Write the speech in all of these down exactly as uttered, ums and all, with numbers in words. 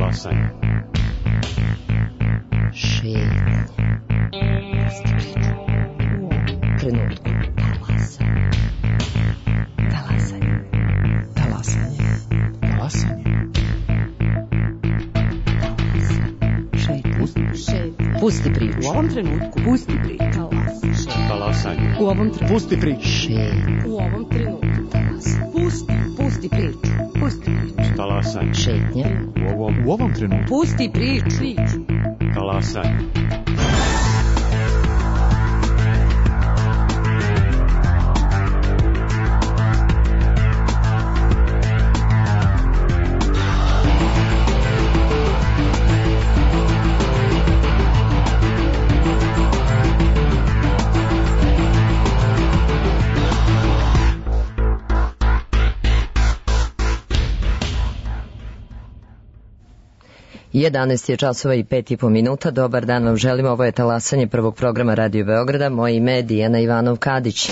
Talasanje. Šetnje. Trenutku. Talasanje. Talasanje. Talasanje. Šetnje. Pusti priču. U ovom trenutku. Pusti priču. Talasanje. U ovom trenutku. Pusti priču. Šetnje. U ovom trenutku. Pusti. Pusti priču. Pusti priču. Talasanje. Šetnje. U ovom, u ovom trenutku. Pusti priču. Talasanje. jedanaest je časova i pet i po minuta. Dobar dan vam želim. Ovo je talasanje prvog programa Radio Beograda. Moje ime je Dijana Ivanov-Kadić.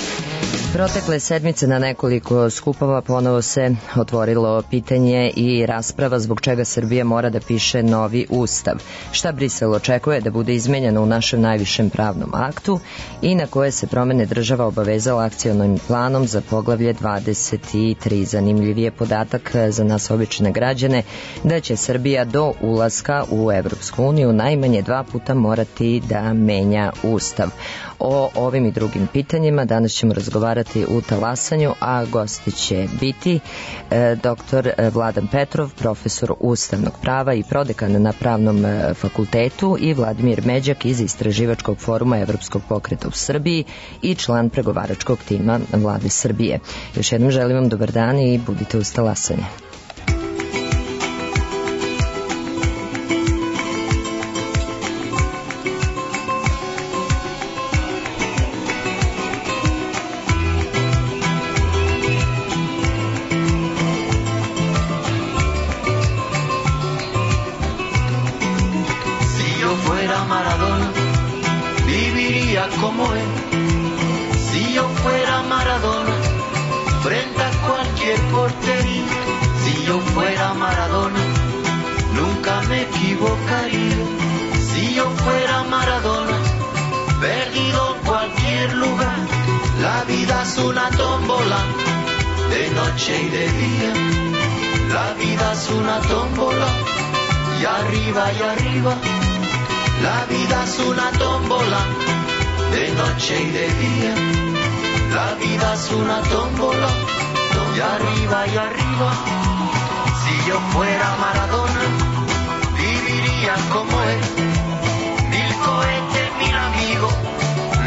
Protekle sedmice na nekoliko skupova ponovo se otvorilo pitanje i rasprava zbog čega Srbija mora da piše novi ustav. Šta Brisel očekuje da bude izmenjeno u našem najvišem pravnom aktu i na koje se promene država obavezala akcionim planom za poglavlje dvadeset tri. Zanimljiv je podatak za nas obične građane da će Srbija do ulaska u Evropsku uniju najmanje dva puta morati da menja ustav. O ovim i drugim pitanjima danas ćemo razgovarati u talasanju, a gosti će biti e, doktor Vladan Petrov, profesor ustavnog prava i prodekan na Pravnom fakultetu, i Vladimir Međak iz Istraživačkog foruma Evropskog pokreta u Srbiji i član pregovaračkog tima Vlade Srbije. Još jednom želim vam dobar dan i budite uz talasanje. Como él, si yo fuera Maradona, frente a cualquier portería, si yo fuera Maradona, nunca me equivocaría, si yo fuera Maradona, perdido en cualquier lugar, la vida es una tómbola, de noche y de día, la vida es una tómbola, y arriba y arriba, la vida es una tómbola, de noche y de día, la vida es una tómbola, y arriba y arriba. Si yo fuera Maradona, viviría como él, mil cohetes, mil amigos,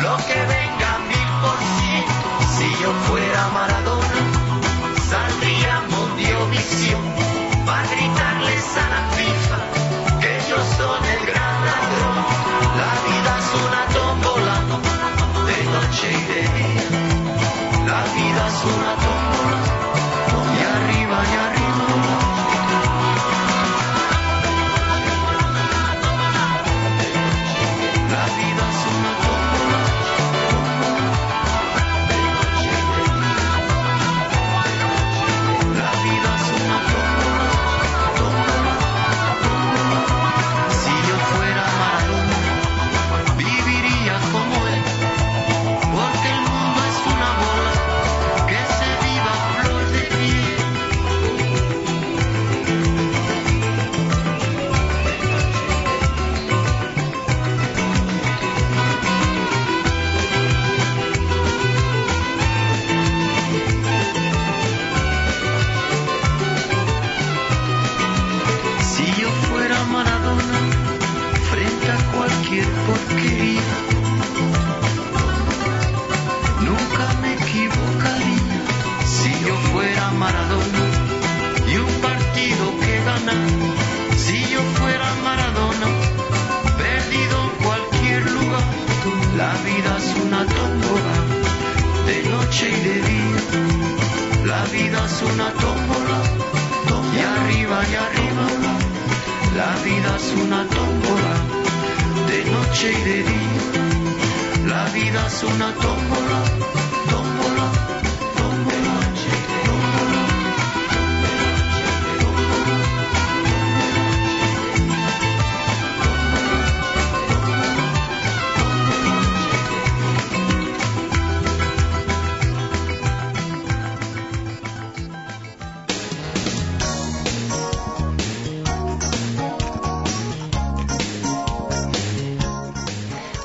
lo que venga mil por cien. Si yo fuera Maradona, saldría Mundiovisión, para gritarles a la FIFA que ellos son el gran ladrón. La vida es una tómbola, de noche y de día, la vida es una tómbola, y arriba y arriba. La vida es una tómbola, de noche y de día, la vida es una tómbola, tómbola, tómbola. Si yo fuera Maradona, viviría como él, porque el mundo es una bola que se viva a flor de piel. Si yo fuera Maradona, frente a cualquier porquería, nunca me equivocaría. Si yo fuera Maradona y un partido que ganar, si yo fuera Maradona, perdido en cualquier lugar, la vida es una tómbola, de noche y de día, la vida es una tómbola, y arriba y arriba, la vida es una tómbola, de noche y de día, la vida es una tómbola, tómbola, tómbola, tómbola, tómbola, tómbola.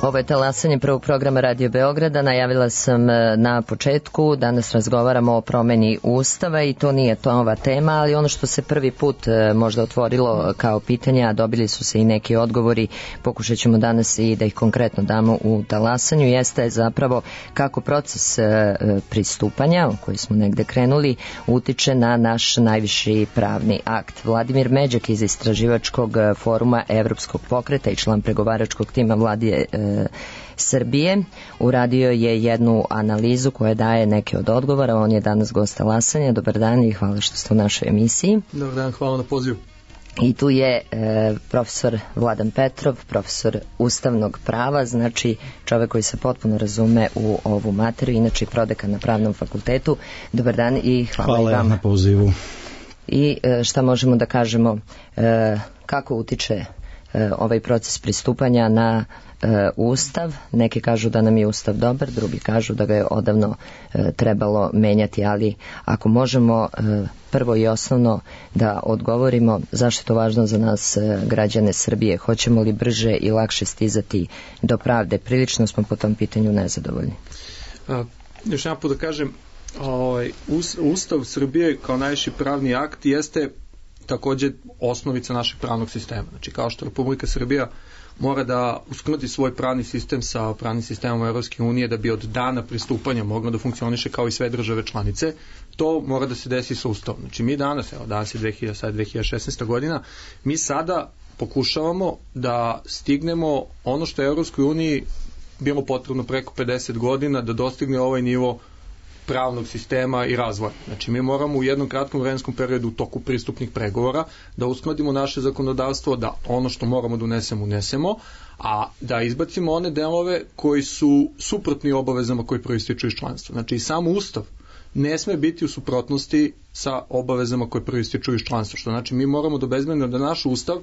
Ovo je talasanje prvog programa Radio Beograda. Najavila sam na početku, danas razgovaramo o promeni Ustava i to nije to ova tema, ali ono što se prvi put možda otvorilo kao pitanje, a dobili su se i neki odgovori, pokušat ćemo danas i da ih konkretno damo u talasanju, jeste zapravo kako proces pristupanja, o koji smo negde krenuli, utiče na naš najviši pravni akt. Vladimir Međak iz Istraživačkog foruma Evropskog pokreta i član pregovaračkog tima Vlade Srbije uradio je jednu analizu koja daje neke od odgovora. On je danas gost talasanja. Dobar dan i hvala što ste u našoj emisiji. Dobar dan, hvala na pozivu. I tu je e, profesor Vladan Petrov, profesor ustavnog prava, znači čovek koji se potpuno razume u ovu materiju, inače prodekan na Pravnom fakultetu. Dobar dan i hvala, hvala i vama. Na pozivu. I e, šta možemo da kažemo, e, kako utiče e, ovaj proces pristupanja na e, Ustav? Neki kažu da nam je Ustav dobar, drugi kažu da ga je odavno e, trebalo menjati, ali ako možemo e, prvo i osnovno da odgovorimo zašto je to važno za nas e, građane Srbije, hoćemo li brže i lakše stizati do pravde? Prilično smo po tom pitanju nezadovoljni. A, još jedan put da kažem, ovaj, Ustav Srbije kao najviši pravni akt jeste takođe osnovica našeg pravnog sistema. Znači, kao što Republika Srbija mora da uskladi svoj pravni sistem sa pravnim sistemom Evropske unije da bi od dana pristupanja mogla da funkcioniše kao i sve države članice, to mora da se desi sa Ustavom. Znači, mi danas, evo, danas je dve hiljade šesnaesta godina, mi sada pokušavamo da stignemo ono što je Evropskoj uniji bilo potrebno preko pedeset godina da dostigne ovaj nivo pravnog sistema i razvoja. Znači, mi moramo u jednom kratkom vremenskom periodu u toku pristupnih pregovora da uskladimo naše zakonodavstvo, da ono što moramo da unesemo, unesemo, a da izbacimo one delove koji su suprotni obavezama koji proističu iz članstva. Znači, i sam Ustav ne sme biti u suprotnosti sa obavezama koje proističu iz članstva. Što znači, mi moramo da obezbedimo da naš Ustav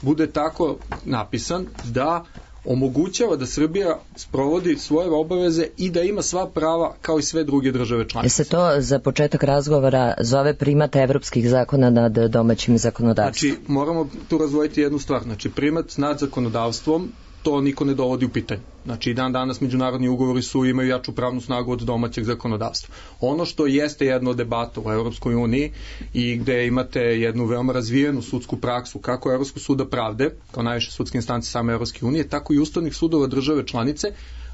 bude tako napisan da omogućava da Srbija sprovodi svoje obaveze i da ima sva prava kao i sve druge države članice. Se to za početak razgovora zove primat evropskih zakona nad domaćim zakonodavstvom? Znači, moramo tu razvojiti jednu stvar. Znači, primat nad zakonodavstvom, to niko ne dovodi u pitanje. Znači, i dan danas međunarodni ugovori su imaju jaču pravnu snagu od domaćeg zakonodavstva. Ono što jeste jedno od debata u Evropskoj uniji i gde imate jednu veoma razvijenu sudsku praksu kako Evropskog suda pravde, kao najviše sudske instance same Evropske unije, tako i ustavnih sudova države članice,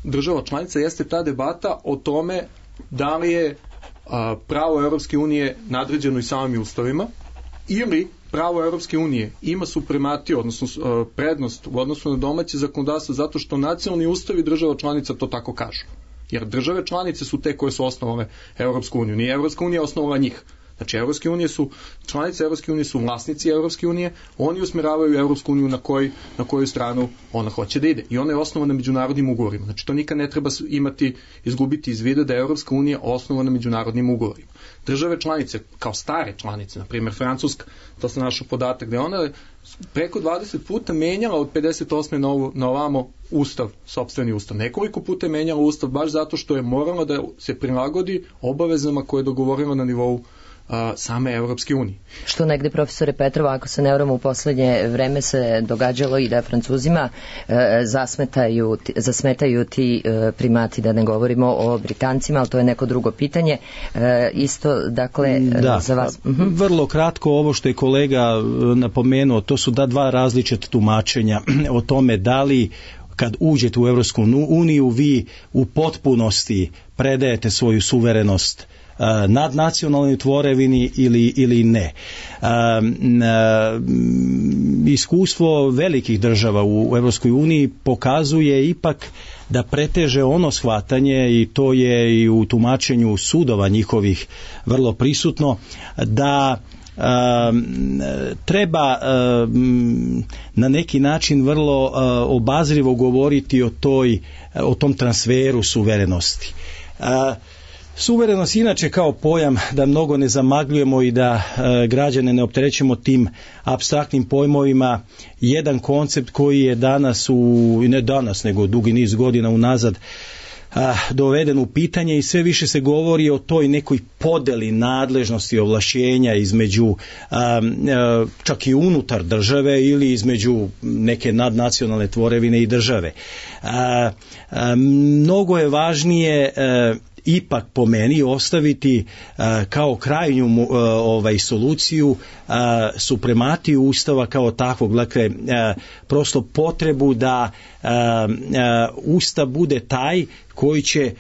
država članica, jeste ta debata o tome da li je a, pravo Evropske unije nadređeno i samim ustavima ili pravo Evropske unije ima suprematiju, odnosno prednost u odnosu na domaće zakonodavstvo zato što nacionalni ustavi država članica to tako kažu. Jer države članice su te koje su osnovale Evropsku uniju. Nije Evropska unija osnovala njih. Znači, Evropske unije su, članice Evropske unije su vlasnici Evropske unije, oni usmeravaju Evropsku uniju na, koj, na koju stranu ona hoće da ide. I ona je osnovana međunarodnim ugovorima. Znači, to nikad ne treba imati, izgubiti iz vida da je Evropska unija osnovana međunarodnim ugovorima. Države članice, kao stare članice, na primjer Francuska, to sam našao podatak, da je ona preko dvadeset puta menjala od pedeset osme na, ovo, na ovamo ustav, sopstveni ustav. Nekoliko puta je menjala ustav baš zato što je morala da se prilagodi obavezama koje je dogovorila na nivou same Evropske unije. Što negde, profesore Petrova, ako se ne vramo, u poslednje vreme se događalo i da Francuzima e, zasmetaju, zasmetaju ti e, primati, da ne govorimo o Britancima, ali to je neko drugo pitanje. E, isto, dakle, da, za vas... Uh-huh. Vrlo kratko, ovo što je kolega napomenuo, to su da dva različita tumačenja o tome da li kad uđete u Evropsku uniju vi u potpunosti predajete svoju suverenost nad nacionalnoj tvorevini ili, ili ne. Um, um, iskustvo velikih država u Evropskoj uniji pokazuje ipak da preteže ono shvatanje, i to je i u tumačenju sudova njihovih vrlo prisutno, da Um, treba um, na neki način vrlo uh, obazrivo govoriti o toj, o tom transferu suverenosti. Uh, Suverenost inače kao pojam, da mnogo ne zamagljujemo i da e, građane ne opterećemo tim apstraktnim pojmovima, jedan koncept koji je danas, u, ne danas nego dugi niz godina unazad, a, doveden u pitanje i sve više se govori o toj nekoj podeli nadležnosti ovlašćenja između a, a, čak i unutar države ili između neke nadnacionalne tvorevine i države. A, a, mnogo je važnije a, ipak po meni ostaviti a, kao krajnju a, ovaj soluciju a, suprematiju Ustava kao takvog, dakle a, prosto potrebu da a, a, Ustav bude taj koji će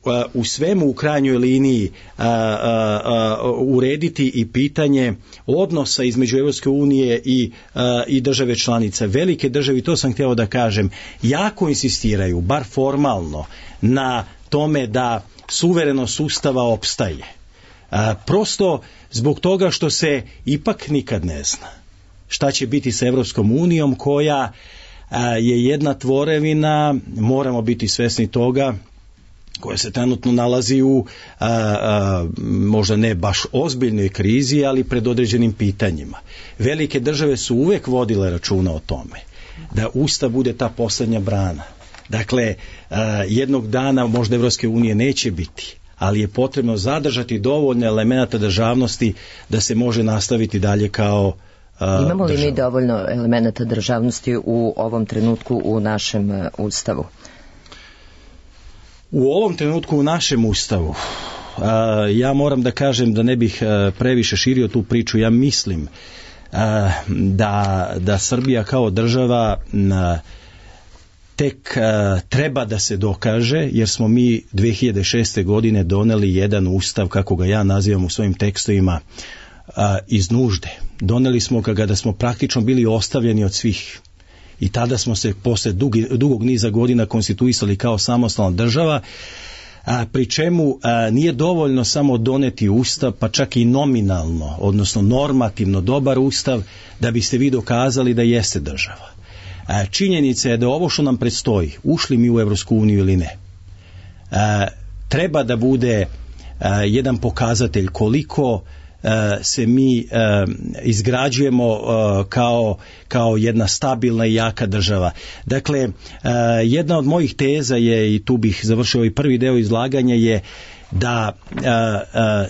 a, u svemu u krajnjoj liniji a, a, a, urediti i pitanje odnosa između Evropske unije i, a, i države članice. Velike države, to sam htio da kažem, jako insistiraju, bar formalno, na tome da suverenost Ustava opstaje. A, prosto zbog toga što se ipak nikad ne zna šta će biti sa Evropskom unijom koja a, je jedna tvorevina, moramo biti svesni toga, koja se trenutno nalazi u a, a, možda ne baš ozbiljnoj krizi, ali pred određenim pitanjima. Velike države su uvek vodile računa o tome da Ustav bude ta poslednja brana. Dakle, jednog dana možda Evropske unije neće biti, ali je potrebno zadržati dovoljno elemenata državnosti da se može nastaviti dalje kao država. Imamo li mi dovoljno elemenata državnosti u ovom trenutku u našem Ustavu? U ovom trenutku u našem Ustavu, ja moram da kažem da ne bih previše širio tu priču, ja mislim da, da Srbija kao država na tek a, treba da se dokaže, jer smo mi dve hiljade šeste. godine doneli jedan ustav, kako ga ja nazivam u svojim tekstovima, a, iz nužde. Doneli smo ga kada smo praktično bili ostavljeni od svih. I tada smo se posle dugi, dugog niza godina konstituisali kao samostalna država, a, pri čemu a, nije dovoljno samo doneti ustav, pa čak i nominalno, odnosno normativno dobar ustav, da biste vi dokazali da jeste država. Činjenica je da ovo što nam predstoji, ušli mi u Evropsku uniju ili ne, treba da bude jedan pokazatelj koliko se mi izgrađujemo kao, kao jedna stabilna i jaka država. Dakle, jedna od mojih teza je, i tu bih završio ovaj prvi deo izlaganja, je da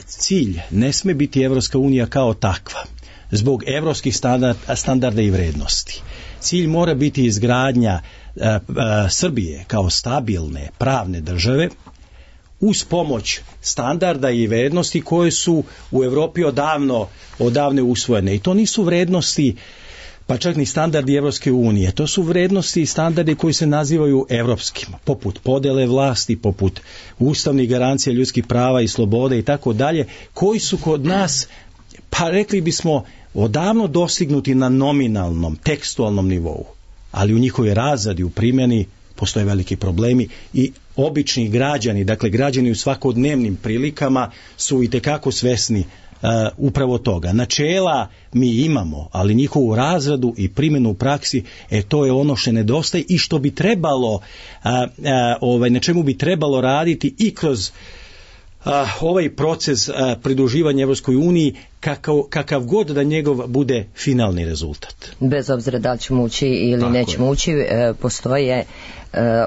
cilj ne sme biti Evropska unija kao takva, zbog evropskih standarda, standarda i vrednosti. Cilj mora biti izgradnja a, a, Srbije kao stabilne pravne države uz pomoć standarda i vrednosti koje su u Evropi odavno, odavno usvojene. I to nisu vrednosti, pa čak ni standardi Evropske unije. To su vrednosti i standardi koji se nazivaju evropskim, poput podele vlasti, poput ustavnih garancija ljudskih prava i slobode i tako dalje, koji su kod nas, pa rekli bismo, odavno dostignuti na nominalnom, tekstualnom nivou, ali u njihovoj razradi, u primjeni, postoje veliki problemi i obični građani, dakle građani u svakodnevnim prilikama su itekako svesni uh, upravo toga. Načela mi imamo, ali njihovu razradu i primjenu u praksi, e, to je ono što nedostaje i što bi trebalo, uh, uh, ovaj, na čemu bi trebalo raditi i kroz Uh, ovaj proces uh, pridruživanja Evropskoj uniji, kakav, kakav god da njegov bude finalni rezultat. Bez obzira da li ćemo ući ili Tako nećemo je. ući, e, postoje e,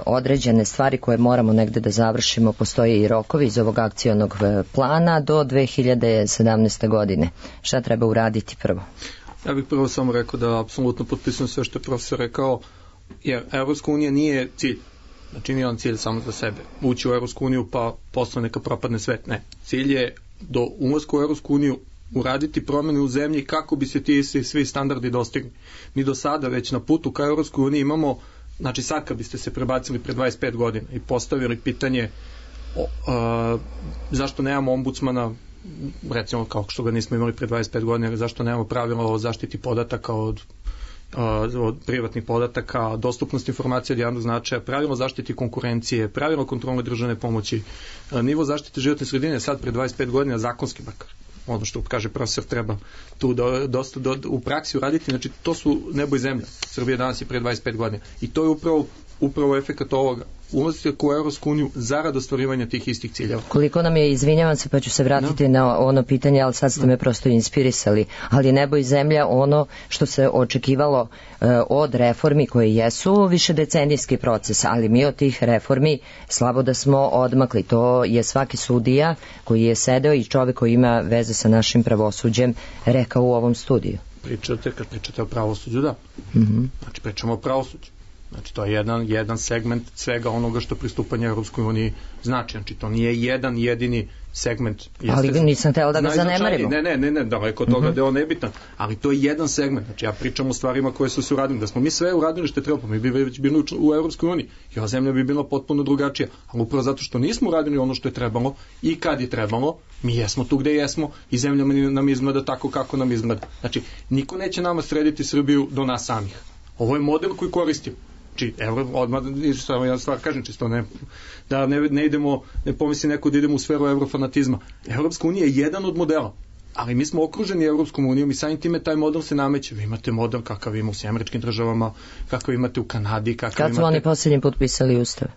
određene stvari koje moramo negde da završimo, postoje i rokovi iz ovog akcionog plana do dve hiljade sedamnaeste. godine. Šta treba uraditi prvo? Ja bih prvo samo rekao da apsolutno potpisujem sve što je profesor rekao, jer Evropska unija nije cilj. Znači nije on cilj samo za sebe. Ući u Evropsku uniju pa posle neka propadne svet. Ne. Cilj je do ulaska u Evropsku uniju uraditi promjene u zemlji kako bi se ti svi standardi dostigli. Mi do sada već na putu ka Evropskoj uniji imamo, znači sad kad biste se prebacili pre dvadeset pet godina i postavili pitanje o, a, zašto nemamo ombudsmana, recimo kao što ga nismo imali pre dvadeset pet godina, zašto nemamo pravila o zaštiti podataka od od privatnih podataka, dostupnost informacija od javnog značaja, pravilo zaštiti konkurencije, pravilo kontrole državne pomoći, nivo zaštite životne sredine sad pre dvadeset pet godina zakonski makar. Ono što kaže profesor treba tu do, dosta do, u praksi uraditi, znači to su nebo i zemlja. Srbija danas je pre dvadeset pet godina i to je upravo, upravo efekat ovoga. ulazak u Evropsku uniju zarad ostvarivanja tih istih ciljeva. Koliko nam je, izvinjavam se pa ću se vratiti no. na ono pitanje, ali sad ste no. me prosto inspirisali, ali nebo i zemlja, ono što se očekivalo e, od reformi koje jesu višedecenijski proces, ali mi od tih reformi slabo da smo odmakli. To je svaki sudija koji je sedeo i čovek koji ima veze sa našim pravosuđem rekao u ovom studiju. Pričate, kad pričate o pravosuđu, da. Mm-hmm. Znači, pričamo o pravosuđu. Znači, to je jedan, jedan segment svega onoga što pristupanje Europskoj uniji znači. Znači, to nije jedan jedini segment. Jeste, ali nisam teo da ga zanemarimo. Ne, ne, ne, ne, daleko od toga mm-hmm. da je on nebitan. Ali to je jedan segment. Znači, ja pričam o stvarima koje su se uradili. Da smo mi sve uradili što je trebalo, mi bi već bili u Europskoj uniji. I ova zemlja bi bila potpuno drugačija. Ali upravo zato što nismo uradili ono što je trebalo i kad je trebalo, mi jesmo tu gde jesmo i zemlja nam izgleda tako kako nam izgleda. Znači, niko neće nama srediti Srbiju do nas samih. Ovo je model koji koristimo. Znači, evo, odmah, samo ja stvar kažem čisto, ne, da ne, ne idemo, ne pomisli neko da idemo u sferu eurofanatizma. Evropska unija je jedan od modela, ali mi smo okruženi Evropskom unijom i samim time taj model se nameće. Vi imate model kakav ima u Sjedinjenim Američkim Državama, kakav imate u Kanadi, kakav Kad imate... su oni posljednji put pisali ustav?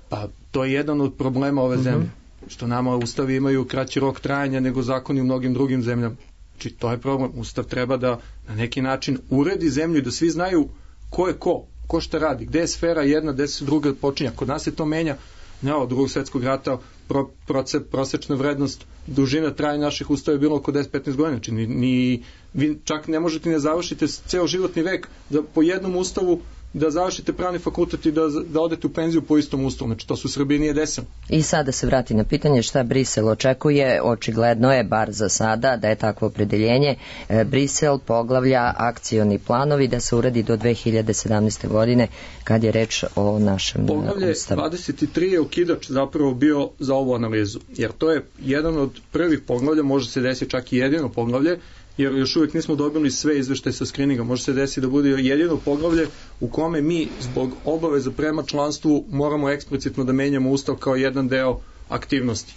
Pa, to je jedan od problema ove zemlje. Mm-hmm. Što nama ustavi imaju kraći rok trajanja nego zakoni u mnogim drugim zemljama. Znači, to je problem. Ustav treba da na neki način uredi zemlju i da svi znaju ko je ko. Ko šta radi, gde je sfera jedna, gde se druga počinja. Kod nas se to menja, ne, od drugog svjetskog rata pro, proce, prosečna vrednost, dužina trajanja naših ustava je bilo oko deset do petnaest godina, znači ni, ni, vi čak ne možete ne završite ceo životni vek da po jednom ustavu da završite pravni fakultet i da, da odete u penziju po istom ustavu, znači to su u Srbiji nije desilo. I sada se vrati na pitanje šta Brisel očekuje, očigledno je, bar za sada, da je takvo opredeljenje. E, Brisel poglavlja akcioni planovi da se uradi do dve hiljade sedamnaeste. godine kad je reč o našem poglavlje ustavu. dvadeset tri je okidač zapravo bio za ovu analizu, jer to je jedan od prvih poglavlja, može se desiti čak i jedino poglavlje, jer još uvijek nismo dobili sve izveštaje sa skrininga. Može se desiti da bude jedino poglavlje u kome mi zbog obaveza prema članstvu moramo eksplicitno da menjamo ustav kao jedan deo aktivnosti.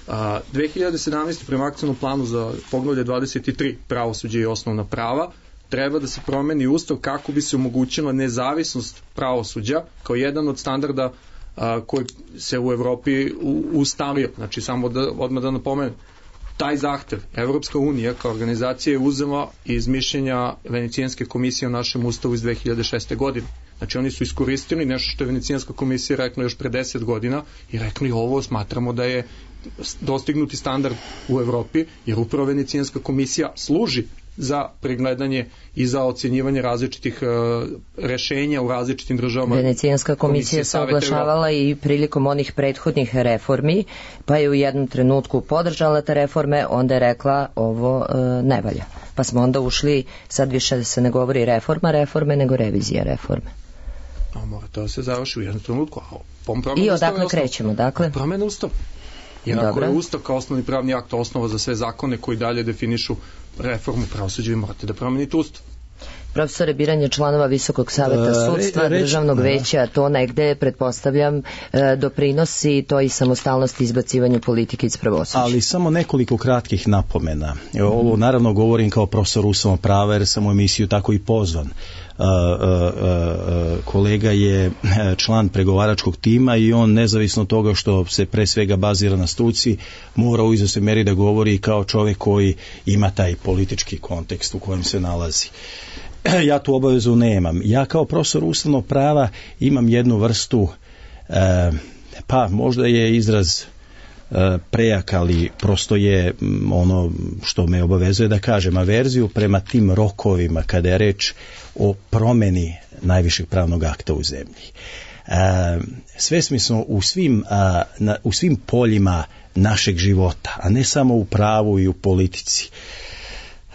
A, dve hiljade sedamnaeste. prema akcionom planu za poglavlje dvadeset tri pravosuđe i osnovna prava treba da se promeni ustav kako bi se omogućila nezavisnost pravosuđa kao jedan od standarda a, koji se u Evropi ustalio. Znači samo da odmah da napomenem, taj zahtev Evropska unija kao organizacija je uzela iz mišljenja Venecijanske komisije o našem ustavu iz dve hiljade šeste. godine. Znači oni su iskoristili nešto što je Venecijanska komisija rekla još pre deset godina i rekli ovo smatramo da je dostignuti standard u Evropi, jer upravo Venecijanska komisija služi za pregledanje i za ocjenjivanje različitih uh, rešenja u različitim državama. Venecijanska komisija se oglašavala i prilikom onih prethodnih reformi, pa je u jednom trenutku podržala te reforme, onda je rekla ovo uh, ne valja. Pa smo onda ušli, sad više se ne govori reforma reforme, nego revizija reforme. A mora to da se završi u jednom trenutku. I odakle krećemo, dakle? Promene ustav. Jer ako je ustav kao osnovni pravni akt osnova za sve zakone koji dalje definišu reformu pravosuđa, vi morate da promenite ustav. Profesore, biranje članova Visokog saveta sudstva, uh, re, državnog veća, to negde, pretpostavljam, doprinosi to i samostalnosti izbacivanju politike iz pravosuđa. Ali samo nekoliko kratkih napomena. Ovo naravno govorim kao profesor ustavnog prava jer sam u emisiju tako i pozvan. Uh, uh, uh, kolega je član pregovaračkog tima i on nezavisno od toga što se pre svega bazira na struci mora u izvesnoj meri da govori kao čovjek koji ima taj politički kontekst u kojem se nalazi. Ja tu obavezu nemam. Ja kao profesor ustavnog prava imam jednu vrstu eh, pa možda je izraz eh, prejak, ali prosto je ono što me obavezuje da kažem averziju prema tim rokovima kada je reč o promeni najvišeg pravnog akta u zemlji. E, svesni smo u svim, a, na, u svim poljima našeg života, a ne samo u pravu i u politici,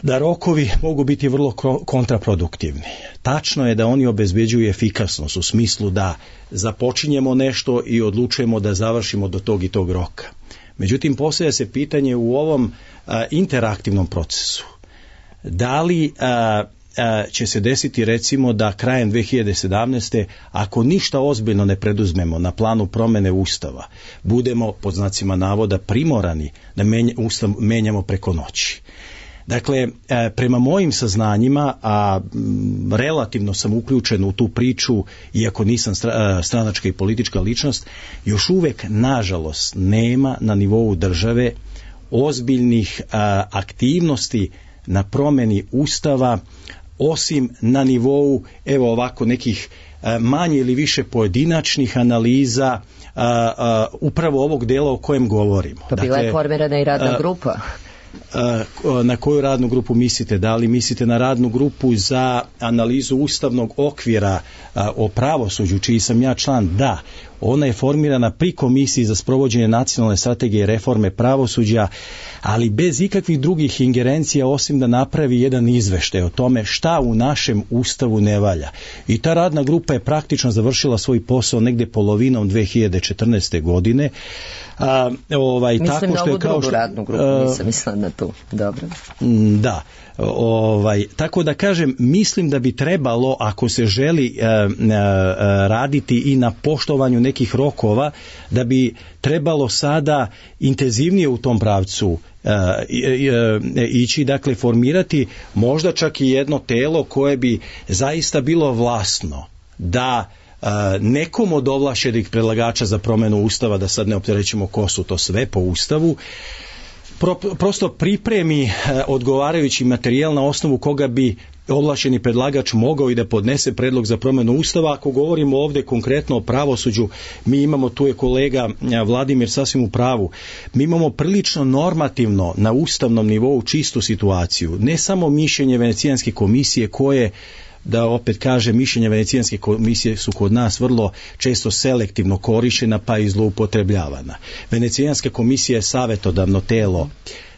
da rokovi mogu biti vrlo kontraproduktivni. Tačno je da oni obezbeđuju efikasnost u smislu da započinjemo nešto i odlučujemo da završimo do tog i tog roka. Međutim, postavlja se pitanje u ovom a, interaktivnom procesu. Da li a, će se desiti recimo da krajem dve hiljade sedamnaeste. ako ništa ozbiljno ne preduzmemo na planu promene ustava, budemo pod znacima navoda primorani da menj, ustav menjamo preko noći. Dakle, prema mojim saznanjima, a relativno sam uključen u tu priču, iako nisam stranačka i politička ličnost, još uvek, nažalost, nema na nivou države ozbiljnih aktivnosti na promeni Ustava, osim na nivou, evo ovako, nekih manje ili više pojedinačnih analiza a, a, upravo ovog dela o kojem govorimo. Pa bila je formirana i radna grupa. Na koju radnu grupu mislite? Da li mislite na radnu grupu za analizu ustavnog okvira o pravosuđu, čiji sam ja član? Da. Ona je formirana pri Komisiji za sprovođenje nacionalne strategije reforme pravosuđa, ali bez ikakvih drugih ingerencija, osim da napravi jedan izveštaj o tome šta u našem Ustavu ne valja. I ta radna grupa je praktično završila svoj posao negde polovinom dve hiljade četrnaeste. godine. A, ovaj, Mislim tako na što je ovu kao drugu što, radnu grupu, nisam mislila na tu. Dobro. Da. Ovaj, tako da kažem, mislim da bi trebalo, ako se želi e, e, raditi i na poštovanju nekih rokova, da bi trebalo sada intenzivnije u tom pravcu e, e, ići, dakle formirati možda čak i jedno telo koje bi zaista bilo vlasno da nekom od ovlašćenih predlagača za promjenu Ustava, da sad ne opterećemo ko su to sve po Ustavu, pro, prosto pripremi odgovarajući materijal na osnovu koga bi ovlašćeni predlagač mogao i da podnese predlog za promjenu Ustava. Ako govorimo ovdje konkretno o pravosuđu, mi imamo, tu je kolega Vladimir sasvim u pravu, mi imamo prilično normativno na ustavnom nivou čistu situaciju, ne samo mišljenje Venecijanske komisije koje, da opet kaže, mišljenja Venecijanske komisije su kod nas vrlo često selektivno korištena pa i zloupotrebljavana. Venecijanska komisija je savjetodavno telo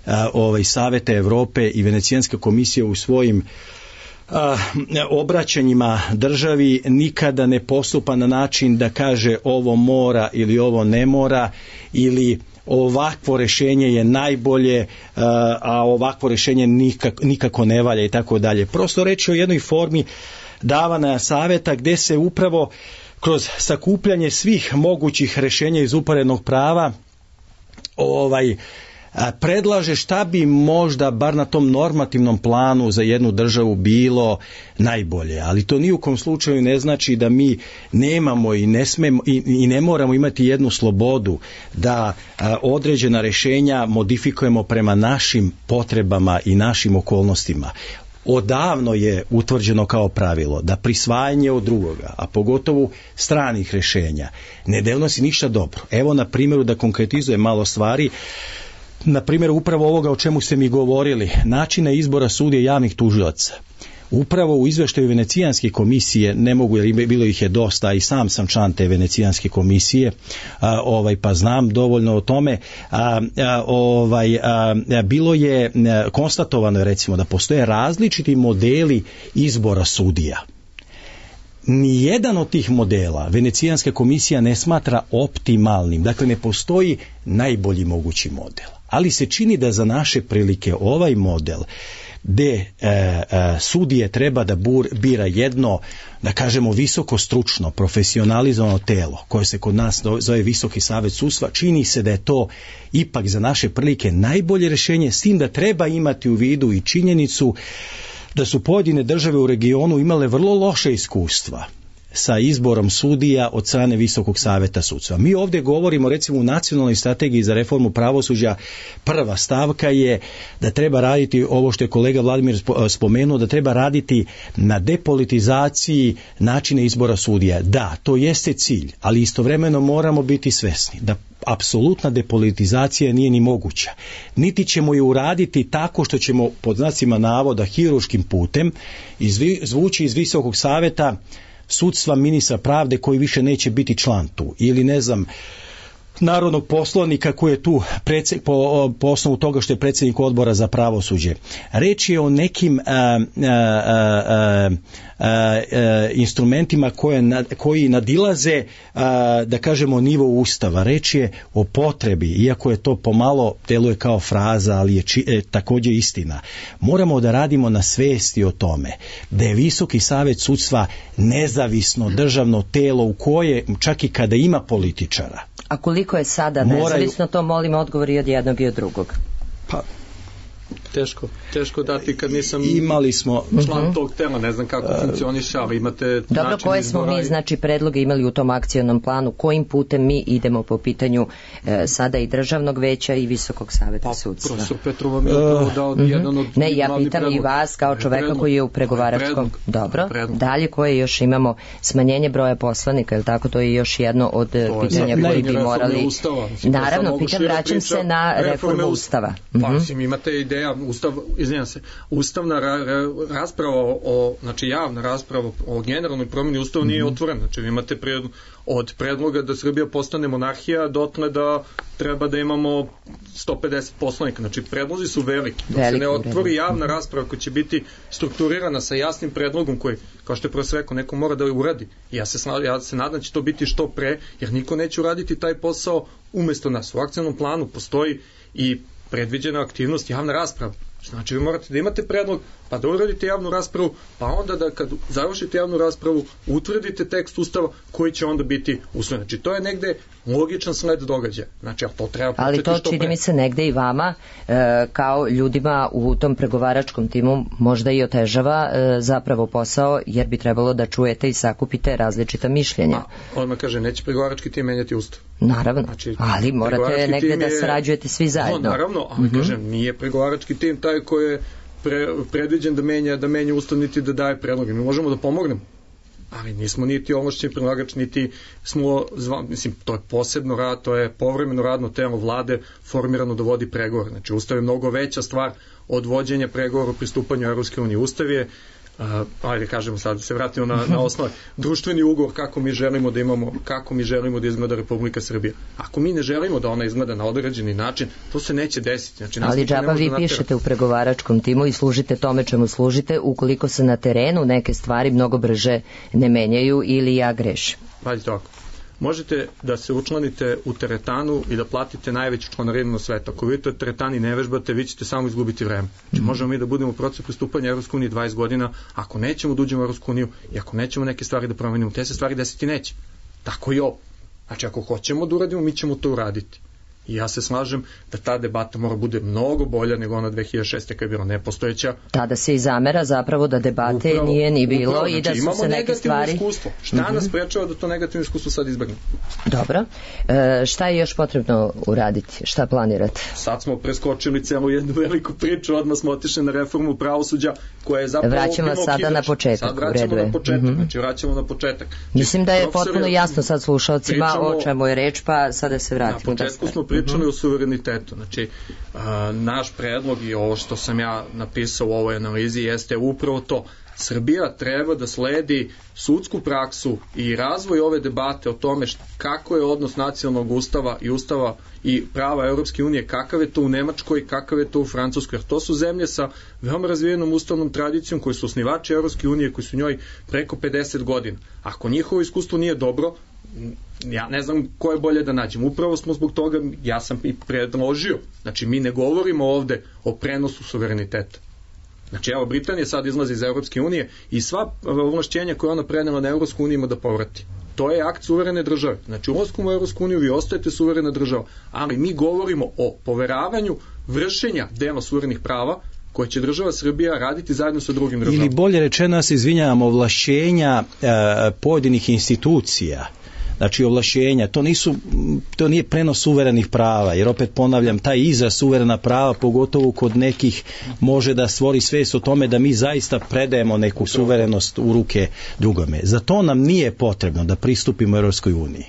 a, ovaj, Saveta Evrope i Venecijanska komisija u svojim a, obraćanjima državi nikada ne postupa na način da kaže ovo mora ili ovo ne mora, ili ovakvo rješenje je najbolje, a ovakvo rješenje nikako, nikako ne valja i tako dalje. Prosto reći o jednoj formi davanja savjeta gdje se upravo kroz sakupljanje svih mogućih rješenja iz uporednog prava ovaj predlaže šta bi možda bar na tom normativnom planu za jednu državu bilo najbolje, ali to ni u kom slučaju ne znači da mi nemamo i ne smemo i, i ne moramo imati jednu slobodu da a, određena rješenja modifikujemo prema našim potrebama i našim okolnostima. Odavno je utvrđeno kao pravilo da prisvajanje od drugoga, a pogotovo stranih rješenja, ne donosi ništa dobro. Evo na primjeru da konkretizujem malo stvari. Na primjer, upravo ovoga o čemu ste mi govorili, načina izbora sudija javnih tužilaca. Upravo u izveštaju Venecijanske komisije, ne mogu, jer bilo ih je dosta, i sam sam član te Venecijanske komisije, a, ovaj, pa znam dovoljno o tome, a, a, ovaj, a, bilo je a, konstatovano je, recimo, da postoje različiti modeli izbora sudija. Nijedan od tih modela Venecijanska komisija ne smatra optimalnim, dakle ne postoji najbolji mogući model, ali se čini da za naše prilike ovaj model gde e, e, sudije treba da bur, bira jedno, da kažemo, visoko stručno, profesionalizovano telo, koje se kod nas zove Visoki savet sudstva, čini se da je to ipak za naše prilike najbolje rješenje, s tim da treba imati u vidu i činjenicu da su pojedine države u regionu imale vrlo loše iskustva sa izborom sudija od strane Visokog saveta sudstva. Mi ovdje govorimo, recimo, u nacionalnoj strategiji za reformu pravosuđa, prva stavka je da treba raditi, ovo što je kolega Vladimir spomenuo, da treba raditi na depolitizaciji načina izbora sudija. Da, to jeste cilj, ali istovremeno moramo biti svesni da apsolutna depolitizacija nije ni moguća. Niti ćemo je uraditi tako što ćemo, pod znacima navoda, hiruškim putem izvući iz Visokog saveta sudstva ministra pravde koji više neće biti član tu, ili ne znam, narodnog poslanika koji je tu predsjed, po, po osnovu toga što je predsjednik odbora za pravosuđe. Reč je o nekim a, a, a, a, a, instrumentima koje, koji nadilaze, a, da kažemo, nivo Ustava. Reč je o potrebi, iako je to pomalo deluje kao fraza, ali je či, e, također istina. Moramo da radimo na svesti o tome da je Visoki savet sudstva nezavisno državno telo u koje, čak i kada ima političara, a koliko je sada nezavisno, to molim odgovor i od jednog i od drugog. Pa, Teško, teško dati kad nisam imali smo član tog tela, ne znam kako funkcioniše, ali imate Dobro, način koje smo mi, znači, predloge imali u tom akcionom planu, kojim putem mi idemo po pitanju e, sada i državnog veća i Visokog saveta pa, sudstva? Profesor Petrov vam je upravo dao uh, jedan od Ne, ja pitam i vas kao čoveka predlog, koji je u pregovaračkom. Dobro, predlog. Dalje koje još imamo smanjenje broja poslanika, je li tako? To je još jedno od to pitanja koji bi morali... Ustava. Naravno, pitam, vraćam se na reformu Ustava. Pa, mislim, imate ideja, Ustav, izvinjam se, ustavna ra, ra, rasprava o, znači javna rasprava o generalnoj promjeni Ustava nije otvorena. Znači, vi imate pred, od predloga da Srbija postane monarhija dotle da treba da imamo sto pedeset poslanika. Znači, predlozi su veliki. Dok se ne otvori javna rasprava koja će biti strukturirana sa jasnim predlogom koji, kao što je profesor rekao, neko mora da uradi. I ja se, ja se nadam da će to biti što pre, jer niko neće uraditi taj posao umesto nas. U akcionom planu postoji i predviđena aktivnost javna rasprava. Znači, vi morate da imate predlog, pa da uradite javnu raspravu, pa onda da kad završite javnu raspravu, utvrdite tekst Ustava koji će onda biti usvojen. Znači, to je negde logičan sled događaja. Znači, to treba početi ali to što čini pre. mi se negde i vama, e, kao ljudima u tom pregovaračkom timu, možda i otežava e, zapravo posao, jer bi trebalo da čujete i sakupite različita mišljenja. A, odmah kaže, neće pregovarački tim menjati Ustav. Naravno, znači, ali morate negde da sarađujete svi zajedno. No, naravno, ali mm-hmm. kažem, nije pregovarački tim taj koji je pre, predviđen da menja, da menja Ustav niti da daje predloge. Mi možemo da pomognemo, ali nismo niti ovlašćeni predlagač, niti smo, zva, mislim, to je posebno rad, to je povremeno radno telo vlade formirano da vodi pregovor. Znači, Ustav je mnogo veća stvar od vođenja pregovora o pristupanju Evropske unije. Ustav je, uh, ajde kažemo sad, se vratimo na, na osnovu, društveni ugovor kako mi želimo da imamo, kako mi želimo da izgleda Republika Srbija. Ako mi ne želimo da ona izgleda na određeni način, to se neće desiti. Znači, ali džaba vi da pišete u pregovaračkom timu i služite tome čemu služite, ukoliko se na terenu neke stvari mnogo brže ne menjaju ili ja grešim. Pazite ovako. Možete da se učlanite u teretanu i da platite najveću članarinu na svetu. Ako vi to teretani ne vežbate, vi ćete samo izgubiti vreme. Znači, mm-hmm. možemo mi da budemo u procesu pristupanja Evropskoj uniji dvadeset godina, ako nećemo da uđemo u Evropsku uniju i ako nećemo neke stvari da promenimo, te se stvari desiti neće. Tako i ovo. Znači, ako hoćemo da uradimo, mi ćemo to uraditi. I ja se slažem da ta debata mora bude mnogo bolja nego ona dve hiljade šeste kada je bila nepostojeća. Tada se i zamera zapravo da debate upravo, nije ni bilo upravo, znači, i da su se neke stvari... Iskustvo. Šta mm-hmm. nas sprečava da to negativno iskustvo sad izbjegnemo? Dobro. E, šta je još potrebno uraditi? Šta planirate? Sad smo preskočili celu jednu veliku priču, odmah smo otišli na reformu pravosuđa koja je zapravo... Vraćamo sada na početak. Sad vraćamo na početak. Mm-hmm. Znači, vraćamo na početak. Mislim da je potpuno jasno sad slušalcima pričamo, o čemu je reč, pa sada se vratimo. Na početku smo pričali mm-hmm. o suverenitetu. Znači, a, naš predlog i ovo što sam ja napisao u ovoj analizi jeste upravo to. Srbija treba da sledi sudsku praksu i razvoj ove debate o tome št, kako je odnos nacionalnog ustava i ustava i prava Europske unije, kakav je to u Nemačkoj, kakav je to u Francuskoj, jer to su zemlje sa veoma razvijenom ustavnom tradicijom koji su osnivači Europske unije, koji su njoj preko pedeset godina. Ako njihovo iskustvo nije dobro, ja ne znam ko je bolje da nađem. Upravo smo zbog toga, ja sam i predložio, znači mi ne govorimo ovde o prenosu suvereniteta. Znači, evo, Britanija sad izlazi iz Evropske unije i sva ovlašćenja koje ona prenela na Evropsku uniju ima da povrati. To je akt suverene države. Znači, ulaskom u Evropsku uniju vi ostajete suverena država, ali mi govorimo o poveravanju vršenja dela suverenih prava koje će država Srbija raditi zajedno sa drugim državama. Ili bolje rečeno, se izvinjavam, ovlašćenja e, pojedinih institucija. Znači, ovlašćenja, to nisu, to nije prenos suverenih prava, jer opet ponavljam, taj izraz suverena prava, pogotovo kod nekih, može da stvori svest o tome da mi zaista predajemo neku suverenost u ruke drugome. Za to nam nije potrebno da pristupimo Europskoj uniji.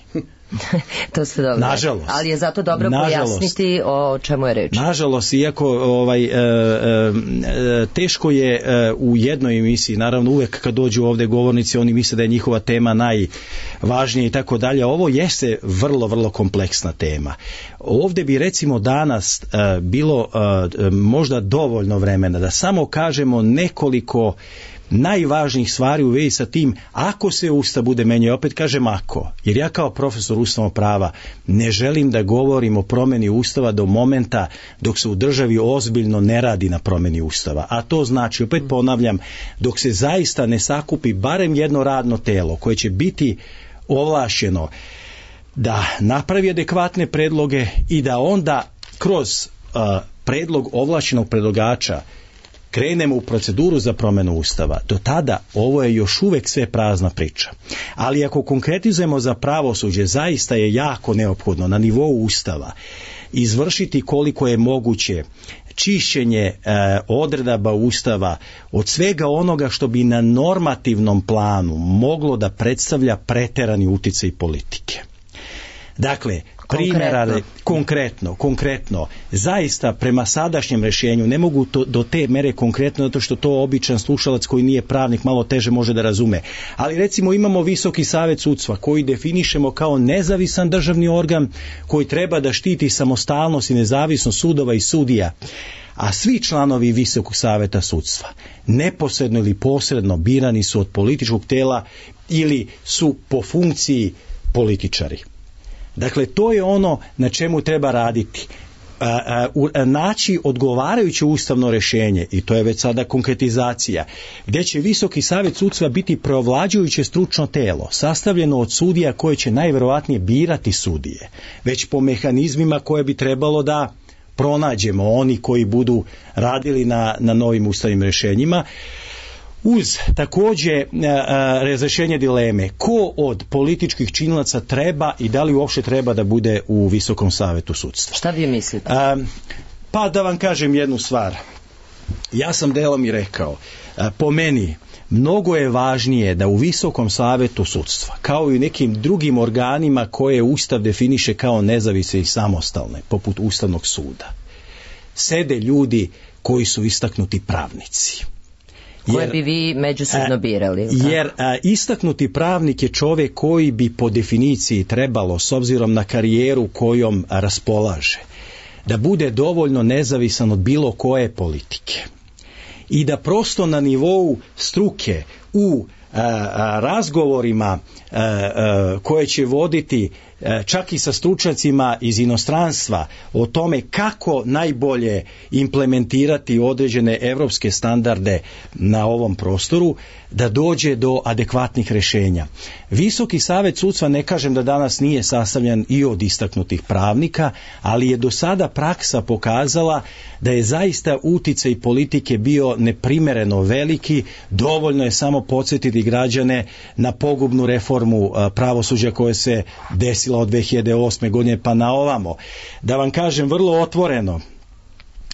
To ste dobro. Nažalost. Ali je zato dobro nažalost, pojasniti o čemu je reč. Nažalost, iako ovaj, e, e, teško je e, u jednoj emisiji, naravno uvek kad dođu ovde govornici, oni misle da je njihova tema najvažnija i tako dalje. Ovo jeste vrlo, vrlo kompleksna tema. Ovde bi recimo danas e, bilo e, možda dovoljno vremena da samo kažemo nekoliko najvažnijih stvari u vezi sa tim ako se Ustav bude menjao, opet kažem ako, jer ja kao profesor ustavnog prava ne želim da govorim o promeni Ustava do momenta dok se u državi ozbiljno ne radi na promeni Ustava, a to znači, opet ponavljam, dok se zaista ne sakupi barem jedno radno telo koje će biti ovlašćeno da napravi adekvatne predloge i da onda kroz uh, predlog ovlašćenog predlagača krenemo u proceduru za promjenu Ustava, do tada ovo je još uvijek sve prazna priča. Ali ako konkretizujemo za pravosuđe, zaista je jako neophodno na nivou Ustava izvršiti koliko je moguće čišćenje e, odredaba Ustava od svega onoga što bi na normativnom planu moglo da predstavlja preterani uticaj politike. Dakle, primjera konkretno. konkretno, konkretno, zaista prema sadašnjem rješenju ne mogu to, do te mere konkretno, zato što to običan slušalac koji nije pravnik malo teže može da razume. Ali recimo imamo Visoki savet sudstva koji definišemo kao nezavisan državni organ koji treba da štiti samostalnost i nezavisnost sudova i sudija. A svi članovi Visokog saveta sudstva neposredno ili posredno birani su od političkog tela ili su po funkciji političari. Dakle, to je ono na čemu treba raditi. A, a, naći odgovarajuće ustavno rješenje, i to je već sada konkretizacija, gdje će Visoki savjet sudstva biti preovlađujuće stručno telo, sastavljeno od sudija koje će najvjerojatnije birati sudije, već po mehanizmima koje bi trebalo da pronađemo, oni koji budu radili na, na novim ustavnim rješenjima, uz također razrješenje dileme ko od političkih činilaca treba i da li uopšte treba da bude u Visokom savetu sudstva. Šta vi mislite? A, pa da vam kažem jednu stvar. Ja sam delom i rekao, a, po meni mnogo je važnije da u Visokom savetu sudstva, kao i u nekim drugim organima koje Ustav definiše kao nezavisne i samostalne, poput Ustavnog suda, sede ljudi koji su istaknuti pravnici. Koje Jer, bi vi međusobno birali? Jer a, istaknuti pravnik je čovjek koji bi po definiciji trebalo, s obzirom na karijeru kojom raspolaže, da bude dovoljno nezavisan od bilo koje politike. I da prosto na nivou struke u a, a, razgovorima a, a, koje će voditi a, čak i sa stručnjacima iz inostranstva o tome kako najbolje implementirati određene evropske standarde na ovom prostoru, da dođe do adekvatnih rješenja. Visoki savet sudstva, ne kažem da danas nije sastavljen i od istaknutih pravnika, ali je do sada praksa pokazala da je zaista uticaj politike bio neprimjereno veliki. Dovoljno je samo podsjetiti građane na pogubnu reformu pravosuđa koja se desila od dve hiljade osme godine pa na ovamo. Da vam kažem vrlo otvoreno,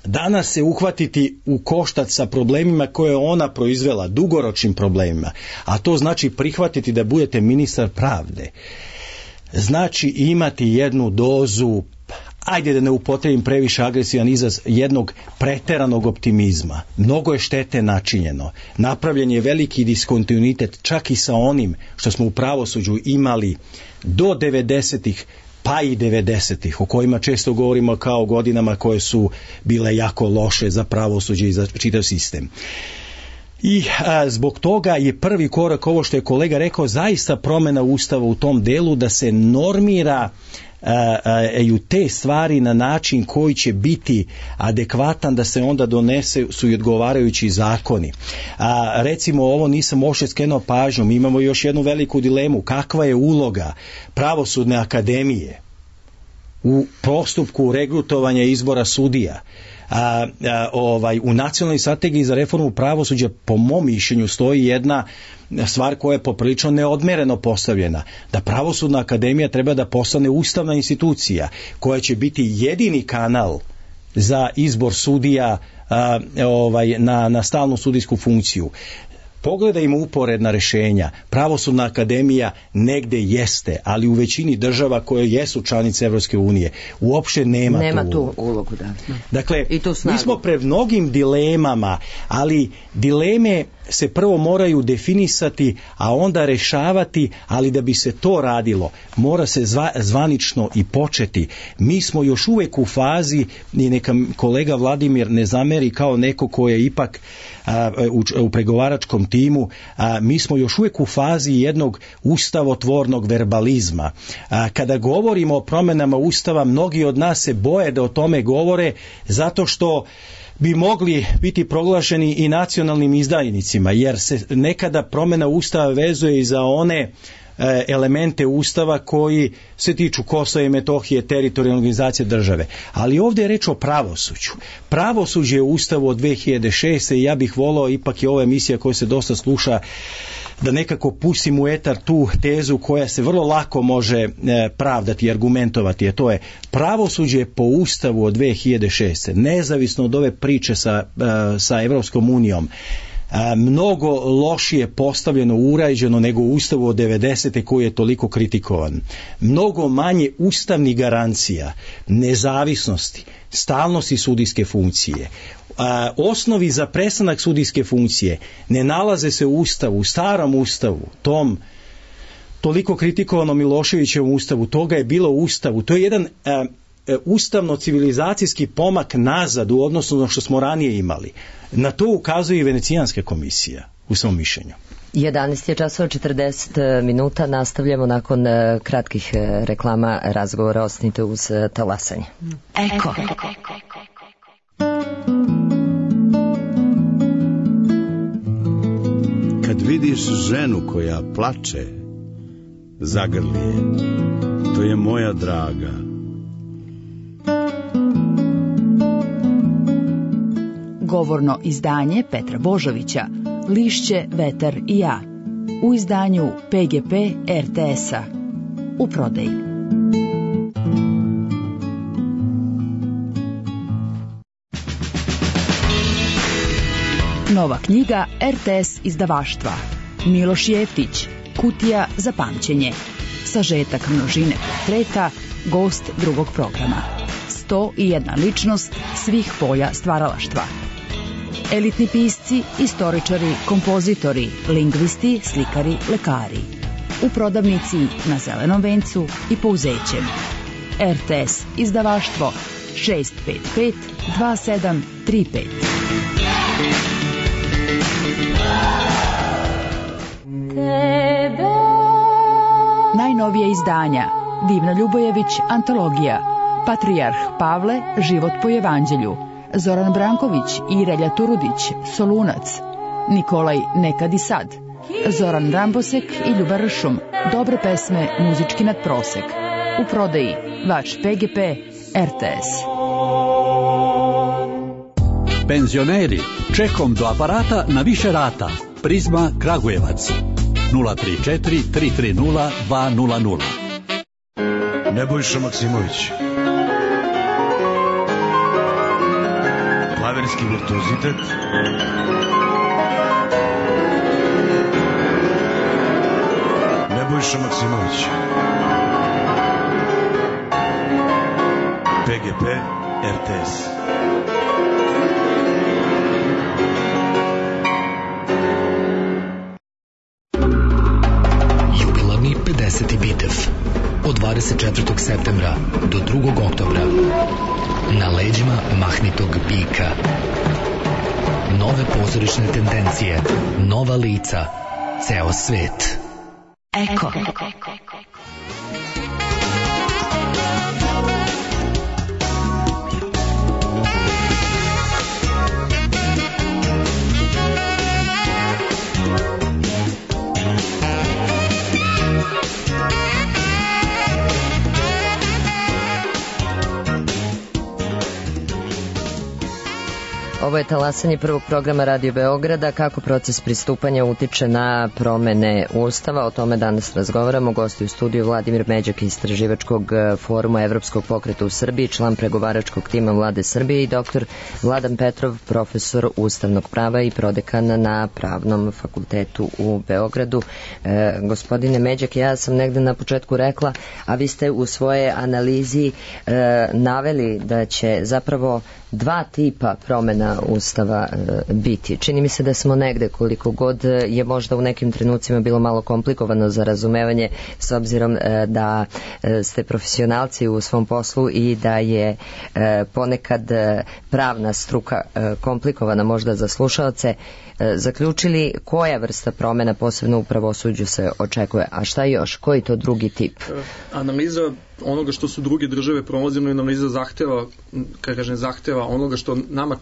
danas se uhvatiti u koštac sa problemima koje je ona proizvela, dugoročnim problemima, a to znači prihvatiti da budete ministar pravde, znači imati jednu dozu, ajde da ne upotrebim previše agresivan izraz, jednog preteranog optimizma. Mnogo je štete načinjeno. Napravljen je veliki diskontinuitet čak i sa onim što smo u pravosuđu imali do devedesetih, pa i devedesetih, o kojima često govorimo kao godinama koje su bile jako loše za pravosuđe i za čitav sistem. I a, zbog toga je prvi korak, ovo što je kolega rekao, zaista promjena Ustava u tom delu da se normira i u te stvari na način koji će biti adekvatan, da se onda donese su i odgovarajući zakoni. A, recimo, ovo nisam uopšte skrenuo pažnju, mi imamo još jednu veliku dilemu, kakva je uloga Pravosudne akademije u postupku regrutovanja izbora sudija. A, a, ovaj, u nacionalnoj strategiji za reformu pravosuđa po mom mišljenju stoji jedna stvar koja je poprilično neodmereno postavljena, da Pravosudna akademija treba da postane ustavna institucija koja će biti jedini kanal za izbor sudija a, ovaj, na, na stalnu sudijsku funkciju. Pogledajmo uporedna rješenja. Pravosudna akademija negde jeste, ali u većini država koje jesu članice Evropske unije uopšte nema, nema tu ulogu. tu ulogu da. Dakle, mi smo pred mnogim dilemama, ali dileme se prvo moraju definisati, a onda rešavati, ali da bi se to radilo, mora se zva, zvanično i početi. Mi smo još uvijek u fazi, i neka kolega Vladimir ne zameri kao neko ko je ipak a, u, u pregovaračkom timu, a, mi smo još uvijek u fazi jednog ustavotvornog verbalizma. A, kada govorimo o promjenama Ustava, mnogi od nas se boje da o tome govore zato što bi mogli biti proglašeni i nacionalnim izdajnicima, jer se nekada promjena Ustava vezuje i za one elemente Ustava koji se tiču Kosova i Metohije, teritorijalne organizacije države. Ali ovdje je reč o pravosuđu. Pravosuđe je u Ustavu od dve hiljade šeste i ja bih volao, ipak je ova emisija koja se dosta sluša, da nekako pustim u etar tu tezu koja se vrlo lako može pravdati i argumentovati, a to je pravosuđe po Ustavu od dve hiljade šeste, nezavisno od ove priče sa, sa Evropskom unijom, mnogo lošije postavljeno, urađeno nego u Ustavu od devedesete koji je toliko kritikovan. Mnogo manje ustavnih garancija, nezavisnosti, stalnosti sudijske funkcije, a, osnovi za prestanak sudijske funkcije ne nalaze se u Ustavu, u starom Ustavu, tom toliko kritikovanom Miloševićevom Ustavu. Toga je bilo u Ustavu. To je jedan a, ustavno-civilizacijski pomak nazad u odnosu na što smo ranije imali. Na to ukazuje i Venecijanska komisija u svom mišljenju. jedanaest je časova četrdeset minuta, nastavljamo nakon kratkih reklama razgovora. Ostanite uz talasanje. Eko. Kad vidiš ženu koja plače, zagrli je, to je moja draga. Govorno izdanje Petra Božovića, Lišće, vetar i ja, u izdanju P G P R T S-a, u prodaji. Nova knjiga R T S izdavaštva. Miloš Jeftić, Kutija za pamćenje. Sažetak množine portreta, gost drugog programa. sto i jedna ličnost svih polja stvaralaštva. Elitni pisci, istoričari, kompozitori, lingvisti, slikari, lekari. U prodavnici na Zelenom vencu i Pouzećem. R T S izdavaštvo šest pet pet dva sedam tri pet. Najnovije izdanja Divna Ljubojević, antologija. Patrijarh Pavle, život po evanđelju. Zoran Branković i Relja Turudić, Solunac. Nikolaj Nekad i sad. Zoran Rambosek i Ljuba Ršum, dobre pesme, muzički nadprosek. U prodaji vaš P G P R T S. Penzioneri, čekom do aparata na više rata. Prizma Kragujevac. nula tri četiri tri tri nula dva nula nula. Nebojša Maksimović. Klaverski virtuozitet. Nebojša Maksimović. P G P R T S. Jubilarni pedeseti bitev od dvadeset četvrtog septembra do drugog oktobra na leđima mahnitog bika. Nove pozorišne tendencije, nova lica, ceo svet. Eko. Ovo je talasanje prvog programa Radio Beograda. Kako proces pristupanja utiče na promene Ustava, o tome danas razgovaramo. Gosti u studiju Vladimir Međak, istraživačkog foruma Evropskog pokreta u Srbiji, član pregovaračkog tima Vlade Srbije, i doktor Vladan Petrov, profesor ustavnog prava i prodekan na Pravnom fakultetu u Beogradu. E, gospodine Međak, ja sam negde na početku rekla, a vi ste u svoje analizi e, naveli da će zapravo dva tipa promena Ustava e, biti. Čini mi se da smo negde, koliko god je možda u nekim trenucima bilo malo komplikovano za razumevanje, s obzirom e, da e, ste profesionalci u svom poslu i da je e, ponekad e, pravna struka e, komplikovana možda za slušaoce, e, zaključili koja vrsta promena posebno u pravosuđu se očekuje, a šta još, koji to drugi tip? Analiza onoga što su druge države promozivno i analiza zahteva, kada kažem zahteva, onoga što nama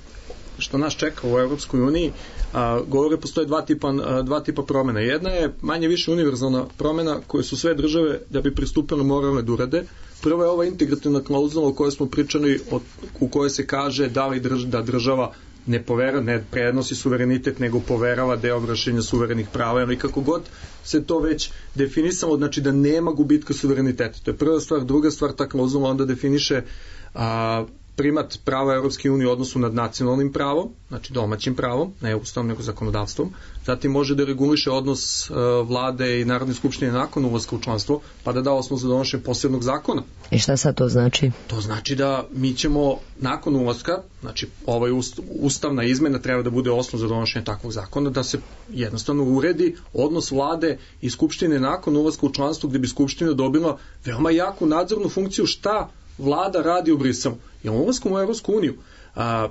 što nas čeka u Europskoj uniji, a, govore postoje dva tipa, a, dva tipa promjena. Jedna je manje više univerzalna promjena koje su sve države da bi pristupile morale da urade. Prva je ova integrativna klauzula o kojoj smo pričali, od, u kojoj se kaže da li drž, da država ne povera, ne prenosi suverenitet, nego poverava deo vršenja suverenih prava, ili kako god se to već definisalo, znači da nema gubitka suvereniteta. To je prva stvar. Druga stvar, ta klauzula onda definiše a, primat prava Europske unije u odnosu nad nacionalnim pravom, znači domaćim pravom, ne ustavom nego zakonodavstvom. Zatim može da reguliše odnos uh, vlade i Narodne skupštine nakon ulaska u članstvo, pa da da osnov za donošenje posebnog zakona. I šta sad to znači? To znači da mi ćemo nakon ulaska, znači ovaj ust, ustavna izmena treba da bude osnov za donošenje takvog zakona, da se jednostavno uredi odnos vlade i skupštine nakon ulaska u članstvo, gdje bi skupština dobila veoma jaku nadzornu funkciju šta vlada radi u Briselu. Jer ulaskom u Europsku uniju a,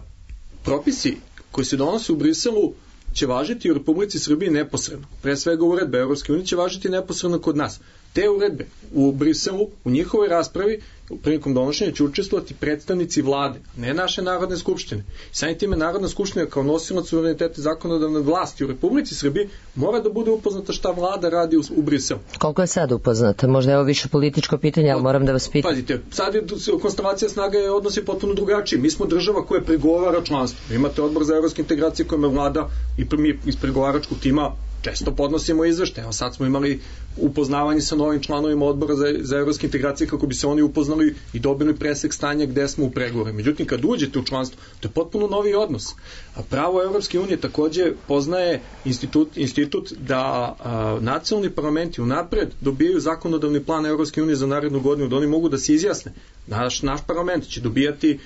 propisi koji se donose u Briselu će važiti u Republici Srbiji neposredno. Pre svega uredbe Europske unije će važiti neposredno kod nas. Te uredbe u Briselu, u njihovoj raspravi, prilikom donošenja će učestvovati predstavnici vlade, ne naše Narodne skupštine. Samim time Narodna skupština kao nosilac suvereniteta zakonodavne vlasti u Republici Srbiji mora da bude upoznata šta vlada radi u, u Briselu. Koliko je sad upoznata? Možda je ovo više političko pitanje, ali moram da vas pitam. Pazite, sad je konstelacija snaga je odnosi potpuno drugačiji. Mi smo država koja pregovara članstvo. Imate odbor za evropske integracije kojima vlada i mi iz pregovaračkog tima često podnosimo izveštaje. Evo sad smo imali upoznavanje sa novim članovima odbora za, za evropske integracije kako bi se oni upoznali i dobili presek stanja gde smo u pregovorima. Međutim, kad uđete u članstvo, to je potpuno novi odnos. A pravo Evropske unije takođe poznaje institut, institut da a, nacionalni parlamenti unapred dobijaju zakonodavni plan Evropske unije za narednu godinu, da oni mogu da se izjasne. Naš, naš parlament će dobijati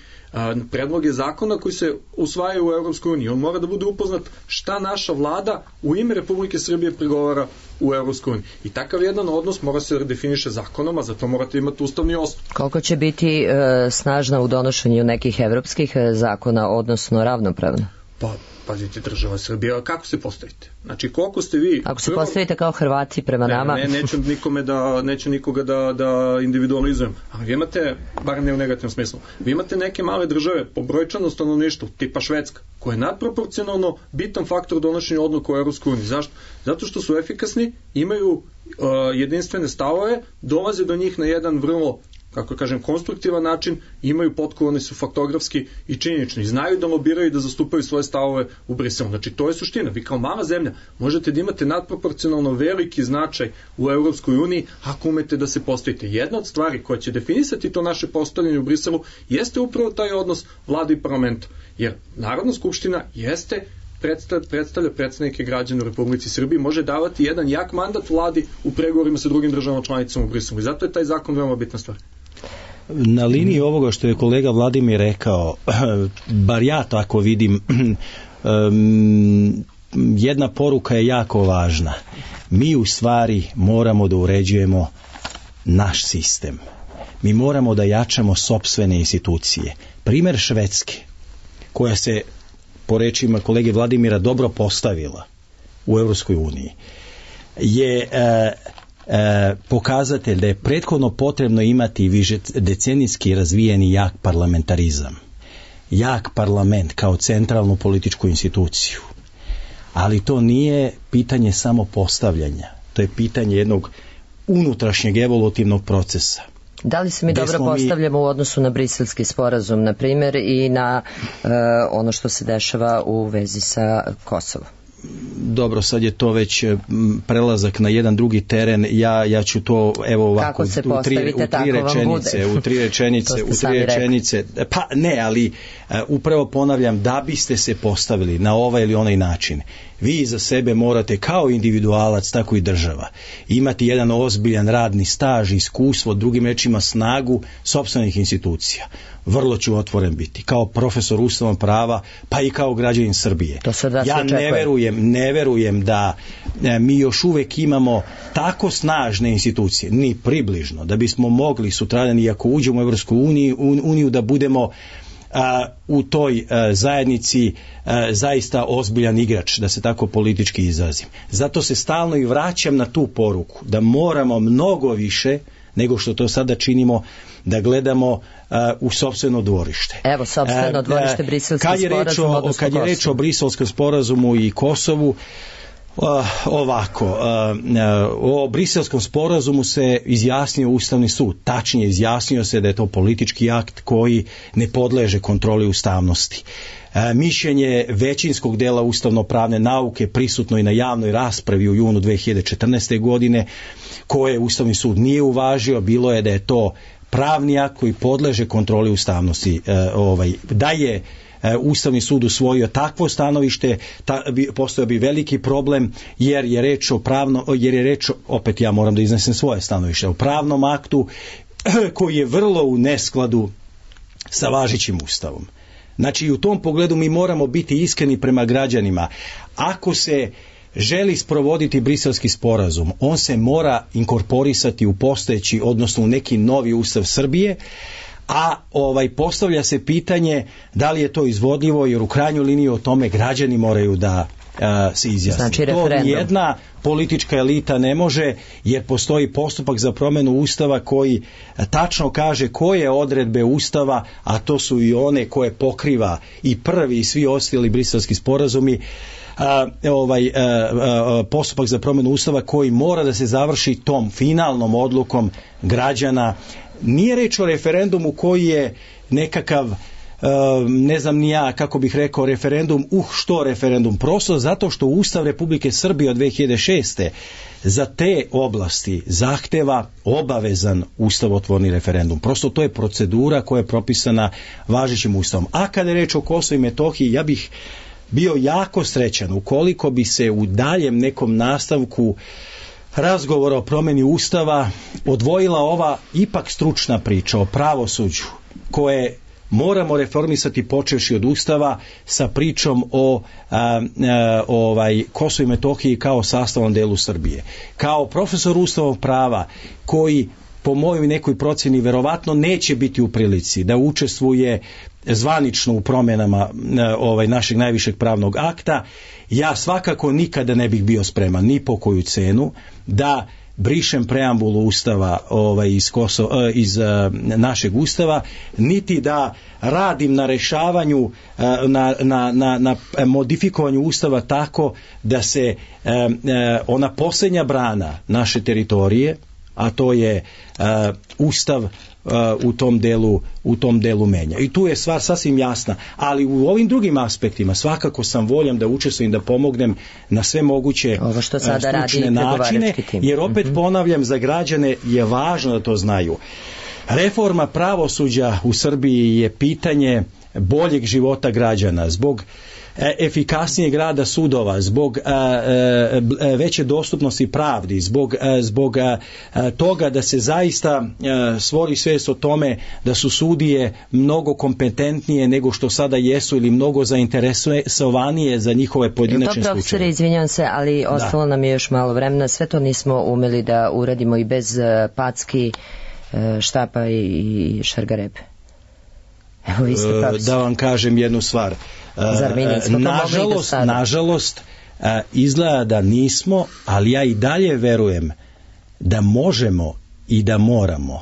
predloge zakona koji se usvajaju u Europskoj uniji. On mora da bude upoznat šta naša vlada u ime Republike Srbije pregovara u Europskoj uniji. I takav jedan odnos mora se definiše zakonom, a zato morate imati ustavni osnov. Koliko će biti e, snažna u donošenju nekih evropskih zakona, odnosno ravnopravno? Pa, pazite, država Srbija, kako se postavite? Znači, koliko ste vi... Ako se prvo... postavite kao Hrvati prema ne, nama... Ne, neću nikome da, neću nikoga da, da individualizujem. Ali vi imate, bar ne u negativnom smislu, vi imate neke male države po brojčanom stanovništvu, tipa Švedska, koja je nadproporcionalno bitan faktor donošenja odluka u Europskoj uniji. Zašto? Zato što su efikasni, imaju uh, jedinstvene stavove, dolaze do njih na jedan vrlo, kako kažem, konstruktivan način, imaju potkovani su faktografski i činjenični, znaju da lobiraju i da zastupaju svoje stavove u Briselu. Znači, to je suština. Vi kao mala zemlja možete da imate nadproporcionalno veliki značaj u Europskoj uniji ako umete da se postavite. Jedna od stvari koja će definisati to naše postavljanje u Briselu jeste upravo taj odnos vlade i parlamenta. Jer Narodna skupština jeste predstavlja predstavnike građana u Republici Srbiji, može davati jedan jak mandat vladi u pregovorima sa drugim državama članicama u Briselu. I zato je taj zakon veoma bitna stvar. Na liniji ovoga što je kolega Vladimir rekao, bar ja tako vidim, jedna poruka je jako važna. Mi u stvari moramo da uređujemo naš sistem. Mi moramo da jačamo sopstvene institucije. Primer Švedske, koja se po rečima kolege Vladimira dobro postavila u Europskoj uniji, je e, e, pokazatelj da je prethodno potrebno imati više decenijski razvijeni jak parlamentarizam, jak parlament kao centralnu političku instituciju. Ali to nije pitanje samo postavljanja, to je pitanje jednog unutrašnjeg evolutivnog procesa. Da li se mi dobro postavljamo mi... u odnosu na Briselski sporazum, na primjer, i na e, ono što se dešava u vezi sa Kosovom? Dobro, sad je to već prelazak na jedan drugi teren. Ja, ja ću to, evo ovako, u tri, u tri rečenice, u tri rečenice, u tri rečenice, pa ne, ali uh, upravo ponavljam, da biste se postavili na ovaj ili onaj način, vi za sebe morate kao individualac, tako i država, imati jedan ozbiljan radni staž, iskustvo, drugim rečima snagu sopstvenih institucija. Vrlo ću otvoren biti, kao profesor ustavnog prava, pa i kao građanin Srbije. Ja ne verujem, ne verujem da e, mi još uvek imamo tako snažne institucije, ni približno, da bismo mogli sutradan, i ako uđemo u Evropsku uniju, uniju da budemo a, u toj a, zajednici a, zaista ozbiljan igrač, da se tako politički izrazim. Zato se stalno i vraćam na tu poruku, da moramo mnogo više nego što to sada činimo, da gledamo uh, u sopstveno dvorište. Evo, sopstveno dvorište, Briselski sporazum, odnosno Kosovo. Kad je reč o Briselskom sporazumu i Kosovu, Uh, ovako, uh, uh, o Briselskom sporazumu se izjasnio Ustavni sud, tačnije izjasnio se da je to politički akt koji ne podleže kontroli ustavnosti. Uh, mišljenje većinskog dela ustavno-pravne nauke prisutno i na javnoj raspravi u junu dve hiljade četrnaeste. godine, koje Ustavni sud nije uvažio, bilo je da je to pravni akt koji podleže kontroli ustavnosti. Uh, ovaj, da je Ustavni sud usvojio takvo stanovište, ta, bi, postojao bi veliki problem, jer je reč o pravno, jer je reč, opet ja moram da iznesem svoje stanovište, o pravnom aktu koji je vrlo u neskladu sa važećim Ustavom. Znači, u tom pogledu mi moramo biti iskreni prema građanima. Ako se želi sprovoditi Briselski sporazum, on se mora inkorporisati u postojeći, odnosno u neki novi Ustav Srbije, a ovaj postavlja se pitanje da li je to izvodljivo, jer u krajnjoj liniji o tome građani moraju da a, se izjasne. Znači, to nijedna politička elita ne može, jer postoji postupak za promjenu Ustava koji tačno kaže koje odredbe Ustava, a to su i one koje pokriva i prvi i svi ostali briselski sporazumi, A, ovaj, a, a, postupak za promjenu Ustava koji mora da se završi tom finalnom odlukom građana. Nije reč o referendumu koji je nekakav, ne znam ni ja kako bih rekao referendum, uh što referendum, prosto zato što Ustav Republike Srbije od dve hiljade šeste. za te oblasti zahteva obavezan ustavotvorni referendum. Prosto to je procedura koja je propisana važećim Ustavom. A kada je reč o Kosovu i Metohiji, ja bih bio jako srećan ukoliko bi se u daljem nekom nastavku razgovora o promjeni Ustava odvojila ova ipak stručna priča o pravosuđu koje moramo reformisati počevši od Ustava sa pričom o a, a, ovaj, Kosovu i Metohiji kao sastavnom delu Srbije. Kao profesor ustavnog prava koji po mojoj nekoj procjeni verovatno neće biti u prilici da učestvuje zvanično u promjenama ovaj, našeg najvišeg pravnog akta, ja svakako nikada ne bih bio spreman ni po koju cenu da brišem preambulu Ustava ovaj, iz, Koso, iz uh, našeg Ustava, niti da radim na rešavanju, uh, na, na, na, na modifikovanju Ustava tako da se uh, uh, ona posljednja brana naše teritorije, a to je uh, Ustav, Uh, u tom delu u tom delu menja. I tu je stvar sasvim jasna, ali u ovim drugim aspektima svakako sam voljan da učestvujem, da pomognem na sve moguće ovo što sada uh, stručne načine, jer opet mm-hmm. ponavljam, za građane je važno da to znaju. Reforma pravosuđa u Srbiji je pitanje boljeg života građana, zbog efikasnijeg rada sudova, zbog a, a, veće dostupnosti pravdi, zbog, a, zbog a, a, toga da se zaista a, stvori svijest o tome da su sudije mnogo kompetentnije nego što sada jesu ili mnogo zainteresovanije za njihove pojedinačne slučaje. To, profesore, izvinjam se, ali ostalo da. nam je još malo vremena. Sve to nismo umeli da uradimo i bez packi, štapa i šargarepe. Evo, vi ste profesor. Da vam kažem jednu stvar. Nažalost, nažalost izgleda da nismo, ali ja i dalje verujem da možemo i da moramo,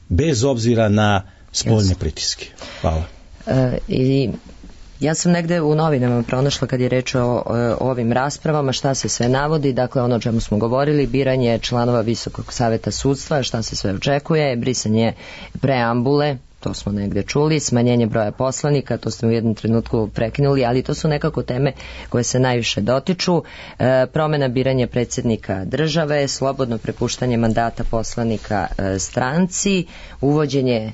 bez obzira na spoljne pritiske. Hvala. E, i ja sam negde u novinama pronašla kad je reč o, o ovim raspravama šta se sve navodi, dakle ono o čemu smo govorili, biranje članova Visokog saveta sudstva, šta se sve očekuje, brisanje preambule, to smo negde čuli, smanjenje broja poslanika, to ste u jednom trenutku prekinuli, ali to su nekako teme koje se najviše dotiču, e, promjena biranja predsjednika države, slobodno prepuštanje mandata poslanika e, stranci, uvođenje e,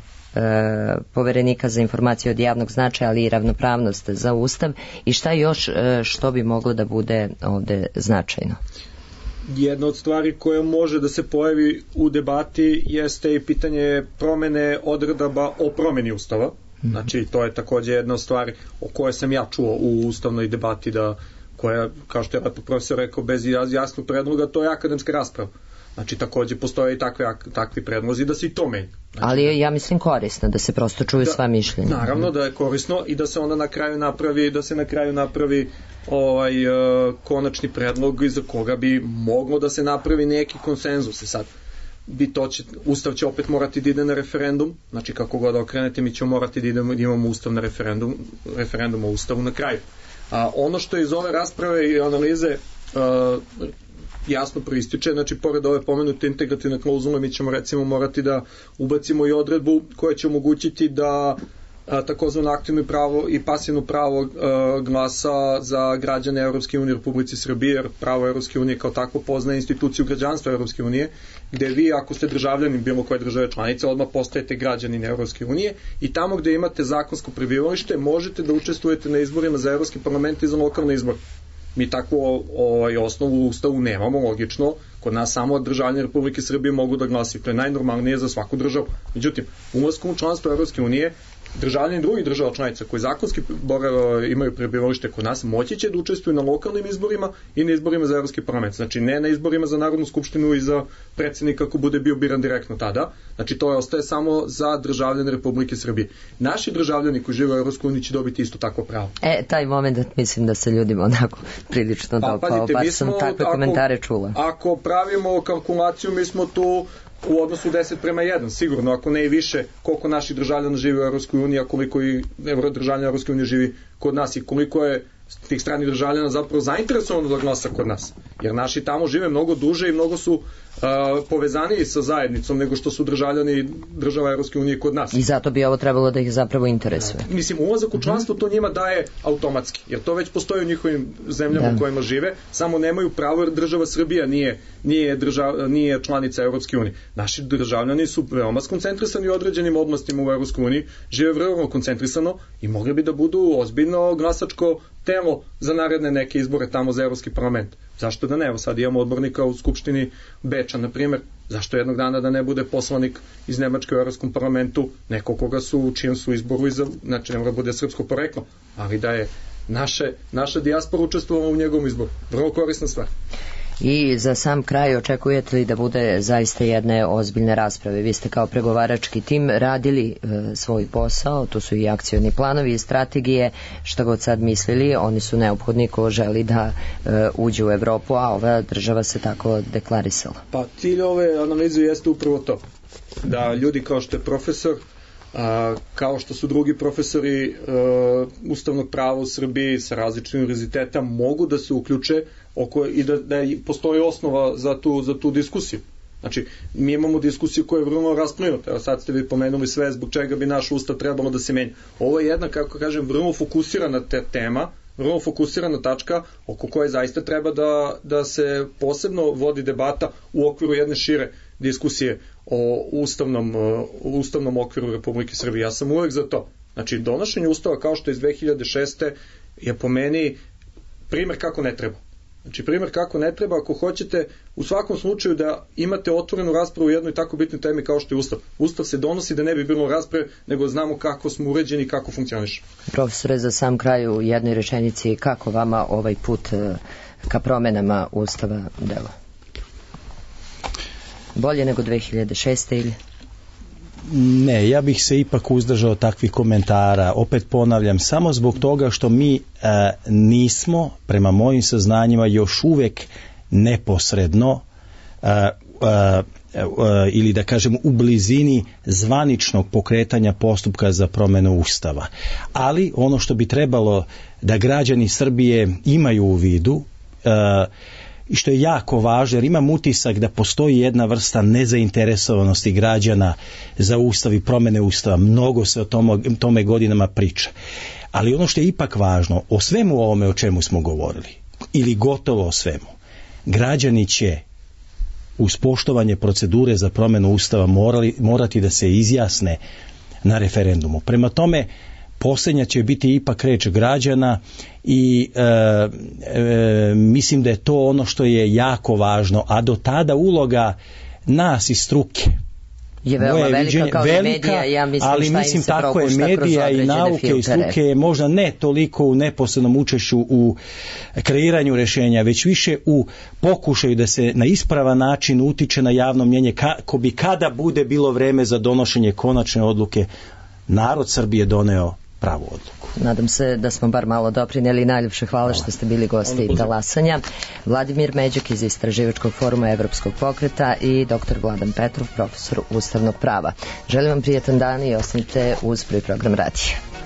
poverenika za informacije od javnog značaja, ali i ravnopravnost za Ustav, i šta još e, što bi moglo da bude ovde značajno? Jedna od stvari koja može da se pojavi u debati jeste i pitanje promene odredaba o promeni Ustava. Znači, to je također jedna stvar o kojoj sam ja čuo u ustavnoj debati, da, koja, kao što je profesor rekao, bez jasnog predloga, to je akademska rasprava. Znači, također postoje i takve, takvi predlozi da se i to menja. Znači, ali je, ja mislim, korisno da se prosto čuju da, sva mišljenja. Naravno da je korisno i da se onda na kraju napravi, da se na kraju napravi ovaj uh, konačni predlog iza koga bi moglo da se napravi neki konsenzus. Sad, bi to će, Ustav će opet morati da ide na referendum, znači kako god okrenete mi ćemo morati da, idemo, da imamo Ustav na referendum, referendum o Ustavu na kraju. A ono što je iz ove rasprave i analize a, jasno proističe, znači pored ove pomenute integrativne klauzule mi ćemo recimo morati da ubacimo i odredbu koja će omogućiti da takozvano aktivno pravo i pasivno pravo uh, glasa za građane Evropske unije u Republici Srbije, jer pravo Evropske unije kao tako poznaje instituciju građanstva Evropske unije, gde vi ako ste državljanin bilo koje države članice, odmah postajete građanin Evropske unije i tamo gde imate zakonsko prebivalište možete da učestvujete na izborima za Evropski parlament i za lokalne izbore. Mi takvu ovaj, osnovu u Ustavu nemamo, logično, kod nas samo državljani Republike Srbije mogu da glasaju, to je najnormalnije za svaku državu. Međutim, ulaskom u članstvo Evropske unije, državljani drugih država članica koji zakonski imaju prebivalište kod nas moći će da učestvuju na lokalnim izborima i na izborima za Evropski parlament. Znači ne na izborima za Narodnu skupštinu i za predsjednika ako bude bio biran direktno tada. Znači to je ostaje samo za državljane Republike Srbije. Naši državljani koji žive u Evropskoj uniji će dobiti isto takvo pravo. E, taj moment mislim da se ljudima onako prilično pa, dopao, bar sam takve ako, komentare čula. Ako pravimo kalkulaciju, mi smo tu u odnosu deset prema jedan, sigurno, ako ne i više, koliko naših državljana živi u Evropskoj uniji, a koliko i državljana Evropske unije živi kod nas i koliko je tih stranih državljana zapravo zainteresovano da glasa kod nas. Jer naši tamo žive mnogo duže i mnogo su uh, povezaniji sa zajednicom nego što su državljani država Evropske unije kod nas. I zato bi ovo trebalo da ih zapravo interesuje. Uh, mislim, ulazak u članstvo to njima daje automatski, jer to već postoji u njihovim zemljama da. U kojima žive, samo nemaju pravo jer država Srbija nije, nije, držav, nije članica Evropske unije. Naši državljani su veoma skoncentrisani u određenim oblastima u Evropskoj uniji, žive veoma koncentrisano i mogli bi da budu ozbiljno glasačko telo za naredne neke izbore tamo za Evropski parlament. Zašto da ne? Evo sad imamo odbornika u Skupštini Beča, na primjer. Zašto jednog dana da ne bude poslanik iz Nemačke u Evropskom parlamentu, neko koga su u čijem su izboru, iza, znači ne mora bude srpsko poreklo, ali da je naše, naša dijaspora učestvovala u njegovom izboru. Vrlo korisna stvar. I za sam kraj očekujete li da bude zaista jedne ozbiljne rasprave? Vi ste kao pregovarački tim radili e, svoj posao, tu su i akcioni planovi i strategije, šta god sad mislili, oni su neophodni ko želi da e, uđe u Evropu, a ova država se tako deklarisala. Pa cilj ove analize jeste upravo to, da ljudi kao što je profesor, a, kao što su drugi profesori a, ustavnog prava u Srbiji sa različitim univerziteta mogu da se uključe oko, i da, da postoji osnova za tu, za tu diskusiju. Znači, mi imamo diskusiju koja je vrlo rasplinuta. Evo sad ste vi pomenuli sve zbog čega bi naš ustav trebalo da se menja. Ovo je jedna, kako kažem, vrlo fokusirana te tema, vrlo fokusirana tačka oko koje zaista treba da, da se posebno vodi debata u okviru jedne šire diskusije o ustavnom, o ustavnom okviru Republike Srbije. Ja sam uvek za to. Znači, donošenje ustava kao što je iz dve hiljade šeste je po meni primer kako ne treba. Znači, primjer kako ne treba ako hoćete u svakom slučaju da imate otvorenu raspravu u jednoj tako bitnoj temi kao što je Ustav. Ustav se donosi da ne bi bilo rasprave, nego znamo kako smo uređeni i kako funkcioniš. Profesore, za sam kraj u jednoj rečenici, kako vama ovaj put ka promenama Ustava dela? Bolje nego dve hiljade šeste ili? Ne, ja bih se ipak uzdržao takvih komentara. Opet ponavljam, samo zbog toga što mi e, nismo, prema mojim saznanjima, još uvek neposredno e, e, e, ili da kažem u blizini zvaničnog pokretanja postupka za promenu Ustava. Ali ono što bi trebalo da građani Srbije imaju u vidu e, i što je jako važno, jer imam utisak da postoji jedna vrsta nezainteresovanosti građana za Ustav i promene Ustava. Mnogo se o tome, tome godinama priča. Ali ono što je ipak važno, o svemu ovome o čemu smo govorili, ili gotovo o svemu, građani će uz poštovanje procedure za promenu Ustava morali, morati da se izjasne na referendumu. Prema tome, posljednja će biti ipak reč građana i e, e, mislim da je to ono što je jako važno, a do tada uloga nas iz struke je veoma velika viđenje, kao velika, medija, ja mislim, ali mislim tako je medija i nauke filtere. I struke je možda ne toliko u neposrednom učešću u kreiranju rješenja, već više u pokušaju da se na ispravan način utiče na javno mnjenje kako bi kada bude bilo vreme za donošenje konačne odluke narod Srbije doneo pravu odluku. nadam se da smo bar malo doprineli. Najljepše hvala što ste bili gosti talasanja. Vladimir Međak iz Istraživačkog foruma Evropskog pokreta i doktor Vladan Petrov, profesor ustavnog prava. Želim vam prijetan dan i ostanite uz Prvi program radija.